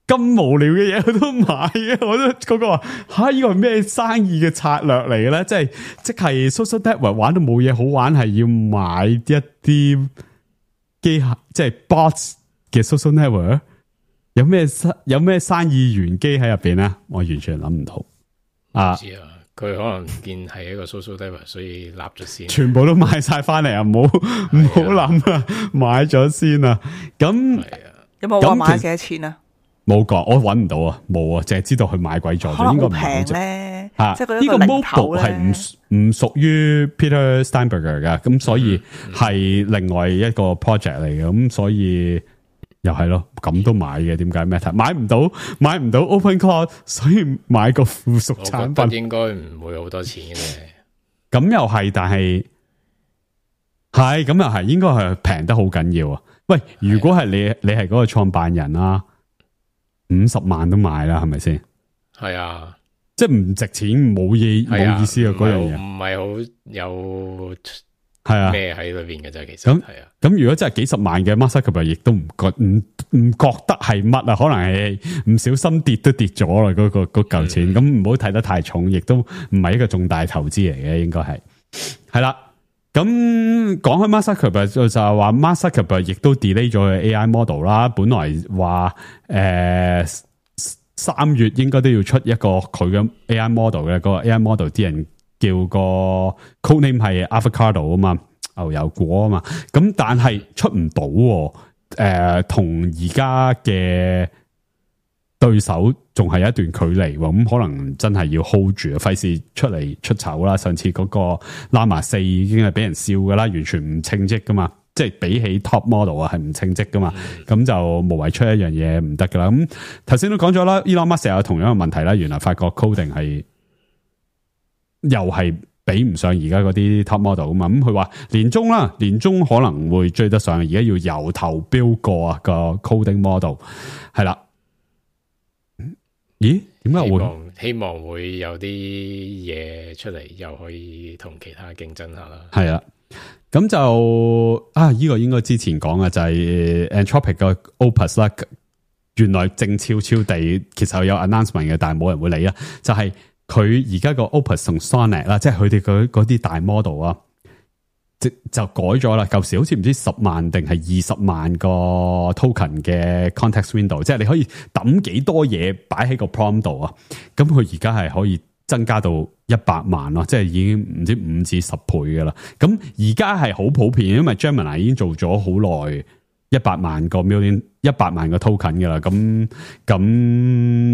咁無聊嘅嘢佢都買嘅，我都嗰個話吓，呢個係咩生意嘅策略嚟嘅咧？即係 social network 玩到冇嘢好玩，係要買一啲機械，即係 bots 嘅 social network， 有咩生意玄機喺入邊咧？我完全諗唔到啊！唔知啊，佢可能見係一個 social network， 所以立咗先，全部都買晒翻嚟啊！唔好諗啊，買咗先啊！咁有冇話買幾多錢啊？冇講，我搵唔到啊，冇啊，淨係知道佢買鬼咗，應該唔平咧。即係呢個 Moltbook 係唔屬於 Peter Steinberger 嘅，咁所以係另外一個 project 嚟嘅，咁所以又係咯，咁都買嘅，點解 Meta 買唔到 OpenClaw， 所以買個附屬產品，應該唔會好多錢嘅。咁又係，但係咁又係，應該係平得好緊要啊！喂，如果係你係嗰個創辦人啊，50萬都買啦，係咪先？係啊，即係唔值錢，冇意思啊！嗰樣嘢唔係好有係咩喺裏邊嘅啫。其實係啊，咁如果真係幾十萬嘅 Mark Zuckerberg，亦都唔覺得係乜啊？可能係唔小心跌都跌咗啦，嗰嚿錢。咁唔好睇得太重，亦都唔係一個重大投資嚟嘅，應該係啦。咁講開 Mark Zuckerberg 就係話 Mark Zuckerberg 亦都 delay 咗佢 AI model 啦。本來話3月應該都要出一個佢嘅 AI model 嘅，個 AI model 啲人叫個 code name 係 avocado 啊嘛，牛油果啊嘛。咁但係出唔到，同而家嘅對手仲係有一段距離喎，咁可能真係要 hold 住，費事出嚟出醜啦。上次嗰個 Llama 4已經係俾人笑噶啦，完全唔稱職噶嘛，即係比起 top model 啊係唔稱職噶嘛，咁就無謂出一樣嘢唔得噶啦。咁頭先都講咗啦 ，Elon Musk 有同樣嘅問題啦，原來發覺 coding 係又係比唔上而家嗰啲 top model 啊嘛，咁佢話年中可能會追得上，而家要由頭標過啊個 coding model 係啦。咦？點解希望會有啲嘢出嚟，又可以同其他競爭下啦。係啊，咁就呢個應該之前講嘅就係 Anthropic 嘅 Opus 啦。原來靜悄悄地，其實有 announcement 嘅，但係冇人會理啊。就係佢而家個 Opus 同 Sonnet 啦，即係佢哋嗰啲大 model 啊。就改咗啦，舊時好似唔知10萬定係20萬個 token 嘅 context window， 即係你可以抌幾多嘢擺喺個 prompt 度啊。咁佢而家係可以增加到100萬咯，即係已經唔知5至10倍噶啦。咁而家係好普遍，因為 Gemini 已經做咗好耐100萬個 100萬個 token 噶啦。咁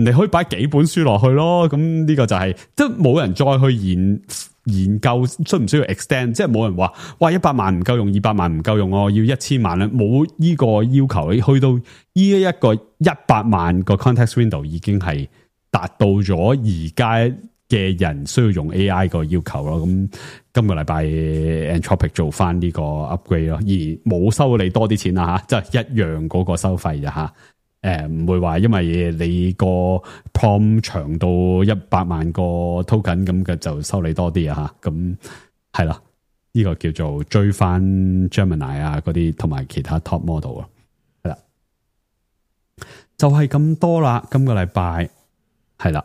你可以擺幾本書落去咯。咁呢個就係即係冇人再去研究需唔需要 extend， 即係冇人話哇100萬唔夠用，200萬唔夠用，我要1000萬啦，冇呢個要求。你去到呢一個100萬個 context window 已經係達到咗而家嘅人需要用 AI 個要求咯。咁今個禮拜 Anthropic 做翻呢個 upgrade 咯，而冇收你多啲錢啦吓，即係一樣嗰個收費咋吓。唔會話因為你個 prompt 長到100萬個 token 咁嘅就收你多啲啊吓，咁係啦，呢個叫做追翻 Gemini 啊嗰啲同埋其他 top model 咯，係啦，就係咁多啦。今個禮拜係啦，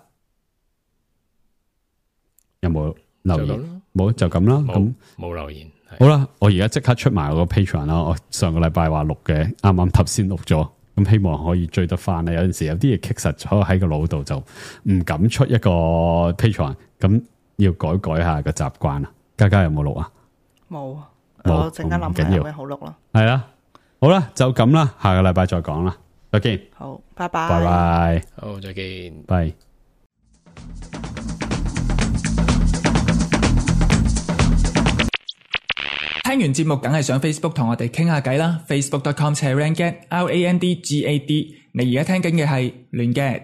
有冇留言？冇就咁啦，咁冇留言。好啦，我而家即刻出埋我個 Patreon 啦，我上個禮拜話錄嘅，啱啱頭先錄咗。咁希望可以追得翻咧，有陣時有啲嘢棘實咗喺個腦度，就唔敢出一個 Patreon， 咁要改下個習慣啊。嘉嘉有冇錄啊？冇，我陣間諗下有咩好錄咯。係啦，好啦，就咁啦，下個禮拜再講啦，再見。好，拜拜，拜拜，好，再見，拜。聽完節目梗係上 Facebook 同我哋傾下偈啦，facebook.com/randgad，RANDGAD。你而家聽緊嘅係亂嘅